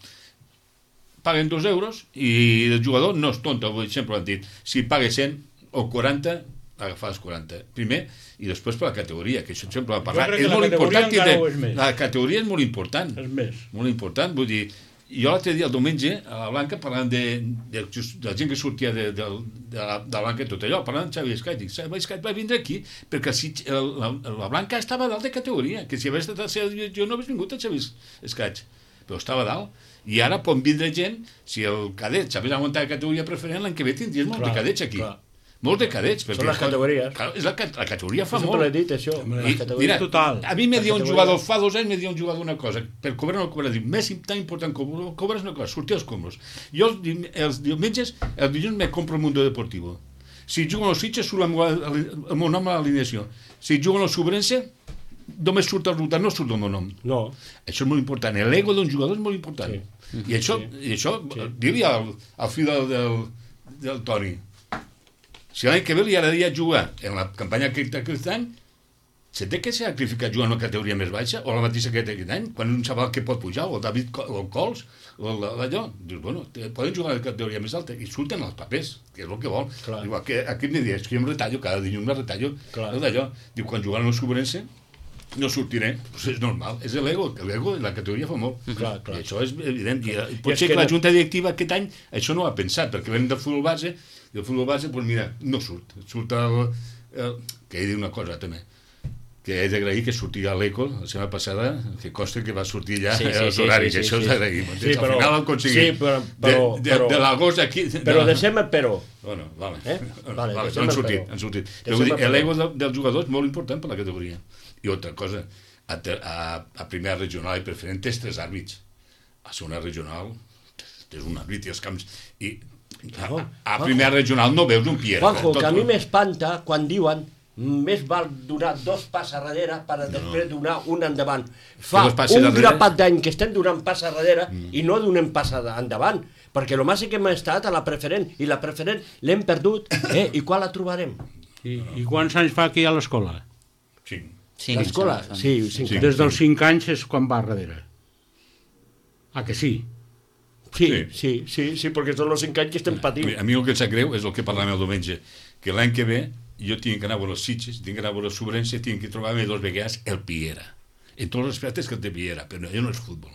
paguen dos euros i el jugador no és tonto, vull dir, sempre ho han dit. Si paga cent o quaranta, agafar els quaranta primer i després per la categoria, que això sempre va parlar. És molt important tindre... La categoria és molt important. És més. Molt important, vull dir, jo l'altre dia, el diumenge, a la Blanca, parlant de, de, de la gent que sortia de, de, de, la, de la Blanca i tot allò, parlant amb Xavi Escait, dic, Xavi Escait va vindre aquí perquè si, el, la, la Blanca estava dalt de categoria, que si hagués estat a ser, jo no hagués vingut a Xavi Escait, però estava dalt. I ara pot vindre gent, si el cadet s'hagués aguantat la categoria preferent, l'any que ve tindries molts de cadets aquí. Clar. Molts de cadets. Són les categories. Clar, és la, la categoria fa molt. molt. Sempre l'he dit, això. I, mira, total. A mi me dia un jugador, fa dos anys me dia un jugador una cosa, per cobrar no cobrar, dic, més tan important que cobrar és una cosa, sortir als còmodes. Jo els, els diumenges, els dilluns me compro el Mundo Deportivo. Si juguen els Sitges, surt el meu nom a l'alineació. Si juguen els Sobrense, només surt el resultat, no surt el meu nom. No. Això és molt important. L'ego d'un jugador és molt important. Sí. I això, sí. i això sí. dir-li al, al fill del, del, del Toni, si l'any que ve li agradaria jugar en la campanya aquest any, se té que sacrificar jugant en una categoria més baixa o la mateixa que aquest any, quan un sap que pot pujar, o el David o el Cols, o allò, dius, bueno, poden jugar a la categoria més alta, i surten els papers, que és el que vol. Clar. Igual que aquí em dius, que jo em retallo, cada dilluns me retallo, d'allò. Diu, quan jugant al Sobrense, no sortiré, pues és normal, és l'ego, l'ego la categoria fa molt. Clar, clar. I això és evident. I, I pot I ser que, que la Junta Directiva aquest any això no ho ha pensat, perquè venen del futbol base, i el futbol base, doncs mira, no surt. Surt el... el que he dit una cosa també, que he d'agrair que sortia l'Eco la setmana passada, que costa que va sortir ja sí, sí, els horaris, sí, sí, això sí, és d'agrair. Sí, sí, al final ho aconseguit. Sí, però, però, de, de, però, de l'agost aquí... Però de... deixem el però. Bueno, vale. Eh? Vale, vale han sortit, han sortit. L'ego dels jugadors és molt important per la categoria. I altra cosa, a, a, a primera regional i preferent tens tres àrbits. A segona regional tens un àrbit i els camps... I a, a primera regional no veus un Pierre. Juanjo, que a mi m'espanta quan diuen més val donar dos passes darrere per no. després donar un endavant. Fa un darrere... grapat d'any que estem donant passes darrere mm. i no donem passes endavant, perquè el màxim que hem estat a la preferent, i la preferent l'hem perdut, eh? I quan la trobarem? I, i quants anys fa que hi ha l'escola? Cinc. Cinc. L'escola? Sí, cinc. Sí. Des dels cinc anys és quan va darrere. Ah, que sí? Sí, sí, sí, sí, sí, perquè són els cinc anys que estem patint. A mi el que em sap greu és el que parlàvem el diumenge, que l'any que ve jo tinc que anar a veure els Sitges, tinc que anar a veure el Sobrense, tinc que trobar-me dos vegades el Piera. En tots els aspectes que el té Piera, però allò no és futbol.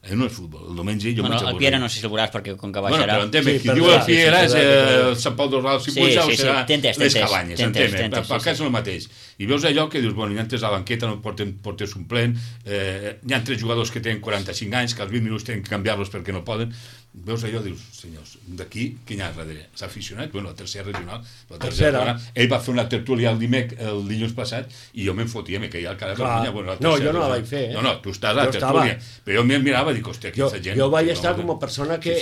Allò no és futbol. El diumenge jo bueno, vaig a el Piera no sé si el veuràs perquè com que baixarà... Bueno, però entén, sí, qui diu el Piera és el Sant Pau d'Oral, si puja o serà les cabanyes, entén, pel cas és el mateix. I veus allò que dius, bueno, hi ha tres a la banqueta, no portes un plen, hi ha tres jugadors que tenen quaranta-cinc anys, que als vint minuts tenen que canviar-los perquè no poden. Veus allò, dius, senyors, d'aquí, qui hi ha darrere? S'ha aficionat? Bueno, la tercera regional, la tercera, ell va fer una tertúlia el dimec, el dilluns passat, i jo me'n fotia, me caia al cara de vergonya. Bueno, no, jo no la vaig fer, eh? No, no, tu estàs a la tertúlia, però jo me'n mirava i dic, hòstia, aquesta gent... Jo vaig estar com a persona que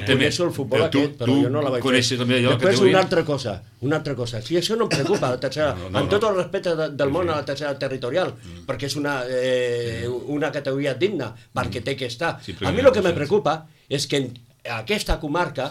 coneixo el futbol aquest, però jo no la vaig fer. Després una altra cosa, una altra cosa, si això no em preocupa, la tercera, amb tot el respecte del món a la tercera territorial, perquè és una categoria digna, perquè té que estar. A mi el que me preocupa és que en aquesta comarca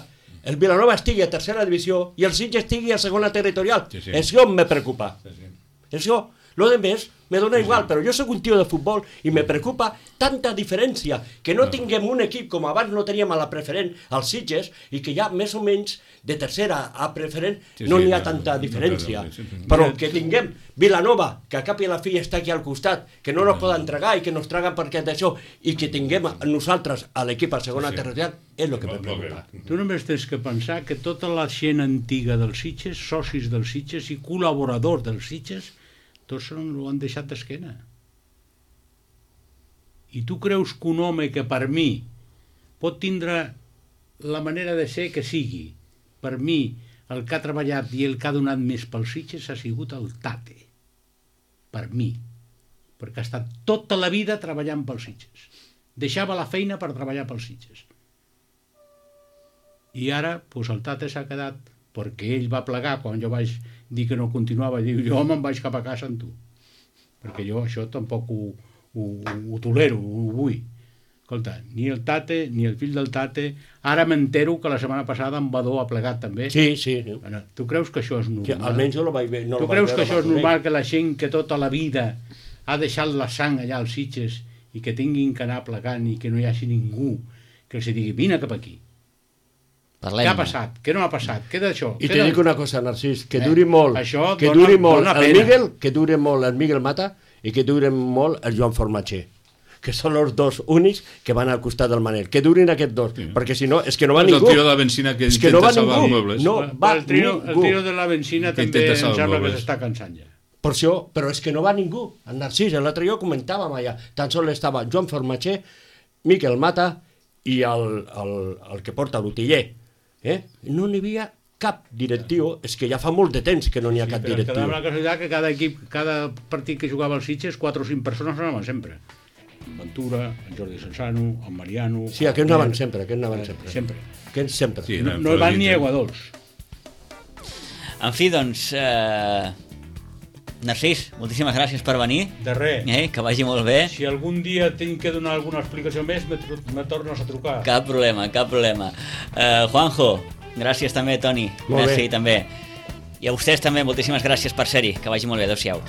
el Vilanova estigui a tercera divisió i el Sitges estigui a segona territorial. Sí, sí. Això me preocupa. Sí, sí. Això, lo de més, me dona igual, però jo soc un tio de futbol i me preocupa tanta diferència, que no tinguem un equip com abans no teníem a la preferent, als Sitges, i que ja més o menys de tercera a preferent no n'hi ha tanta diferència. Però que tinguem Vilanova, que a cap i a la fi està aquí al costat, que no nos poden entregar i que nos traguen perquè d'això, i que tinguem nosaltres a l'equip a segona territorial, és el que me preocupa. Tu només tens que pensar que tota la gent antiga dels Sitges, socis dels Sitges i col·laboradors dels Sitges, tots ho han deixat d'esquena. I tu creus que un home que per mi pot tindre la manera de ser que sigui, per mi el que ha treballat i el que ha donat més pels Sitges ha sigut el Tate. Per mi. Perquè ha estat tota la vida treballant pels Sitges. Deixava la feina per treballar pels Sitges. I ara, doncs el Tate s'ha quedat perquè ell va plegar quan jo vaig dir que no continuava, i diu, jo me'n vaig cap a casa amb tu, perquè jo això tampoc ho, ho, ho tolero, ho vull. Escolta, ni el Tate, ni el fill del Tate, ara m'entero que la setmana passada en Badó ha plegat també. Sí, sí. Bueno, tu creus que això és normal? Sí, almenys jo no vaig veure. No tu creus que això és normal, que la gent que tota la vida ha deixat la sang allà als Sitges i que tinguin que anar plegant i que no hi hagi ningú que els digui, vine cap aquí? Parlem. Què ha passat? Què no ha passat? Què d'això? I te dic una cosa, Narcís, que duri molt, això que duri molt el Miguel, que duri molt el Miguel Mata i que duri molt el Joan Formatxer, que són els dos únics que van al costat del Manel. Que durin aquests dos, sí. Perquè si no, és que no va és ningú. És el tio de la benzina que intenta no salvar els mobles. No va el tio, el tio de la benzina que també em sembla que s'està cansant ja. Per això, però és que no va ningú. El Narcís, l'altre dia ho comentàvem allà, tan sols estava Joan Formatxer, Miquel Mata i el, el, el que porta l'Utiller. Eh? No n'hi havia cap directiu, és que ja fa molt de temps que no n'hi ha Sí, cap però directiu. quedava la casualitat que cada equip, cada partit que jugava als Sitges, quatre o cinc persones anaven sempre. En Ventura, en Jordi Sansano, en Mariano... Sí, aquests anaven sempre, aquests anaven sempre. Sempre. Aquests sempre. Sí, No, anaven no hi van ni fora aigua dolç. En fi, doncs, eh... Narcís, moltíssimes gràcies per venir. De res. Eh? Que vagi molt bé. Si algun dia tinc que donar alguna explicació més, me, tr- me tornes a trucar. Cap problema, cap problema. Uh, Juanjo, gràcies també, Toni. Molt Merci bé. també. I a vostès també, moltíssimes gràcies per ser-hi. Que vagi molt bé, adéu-siau.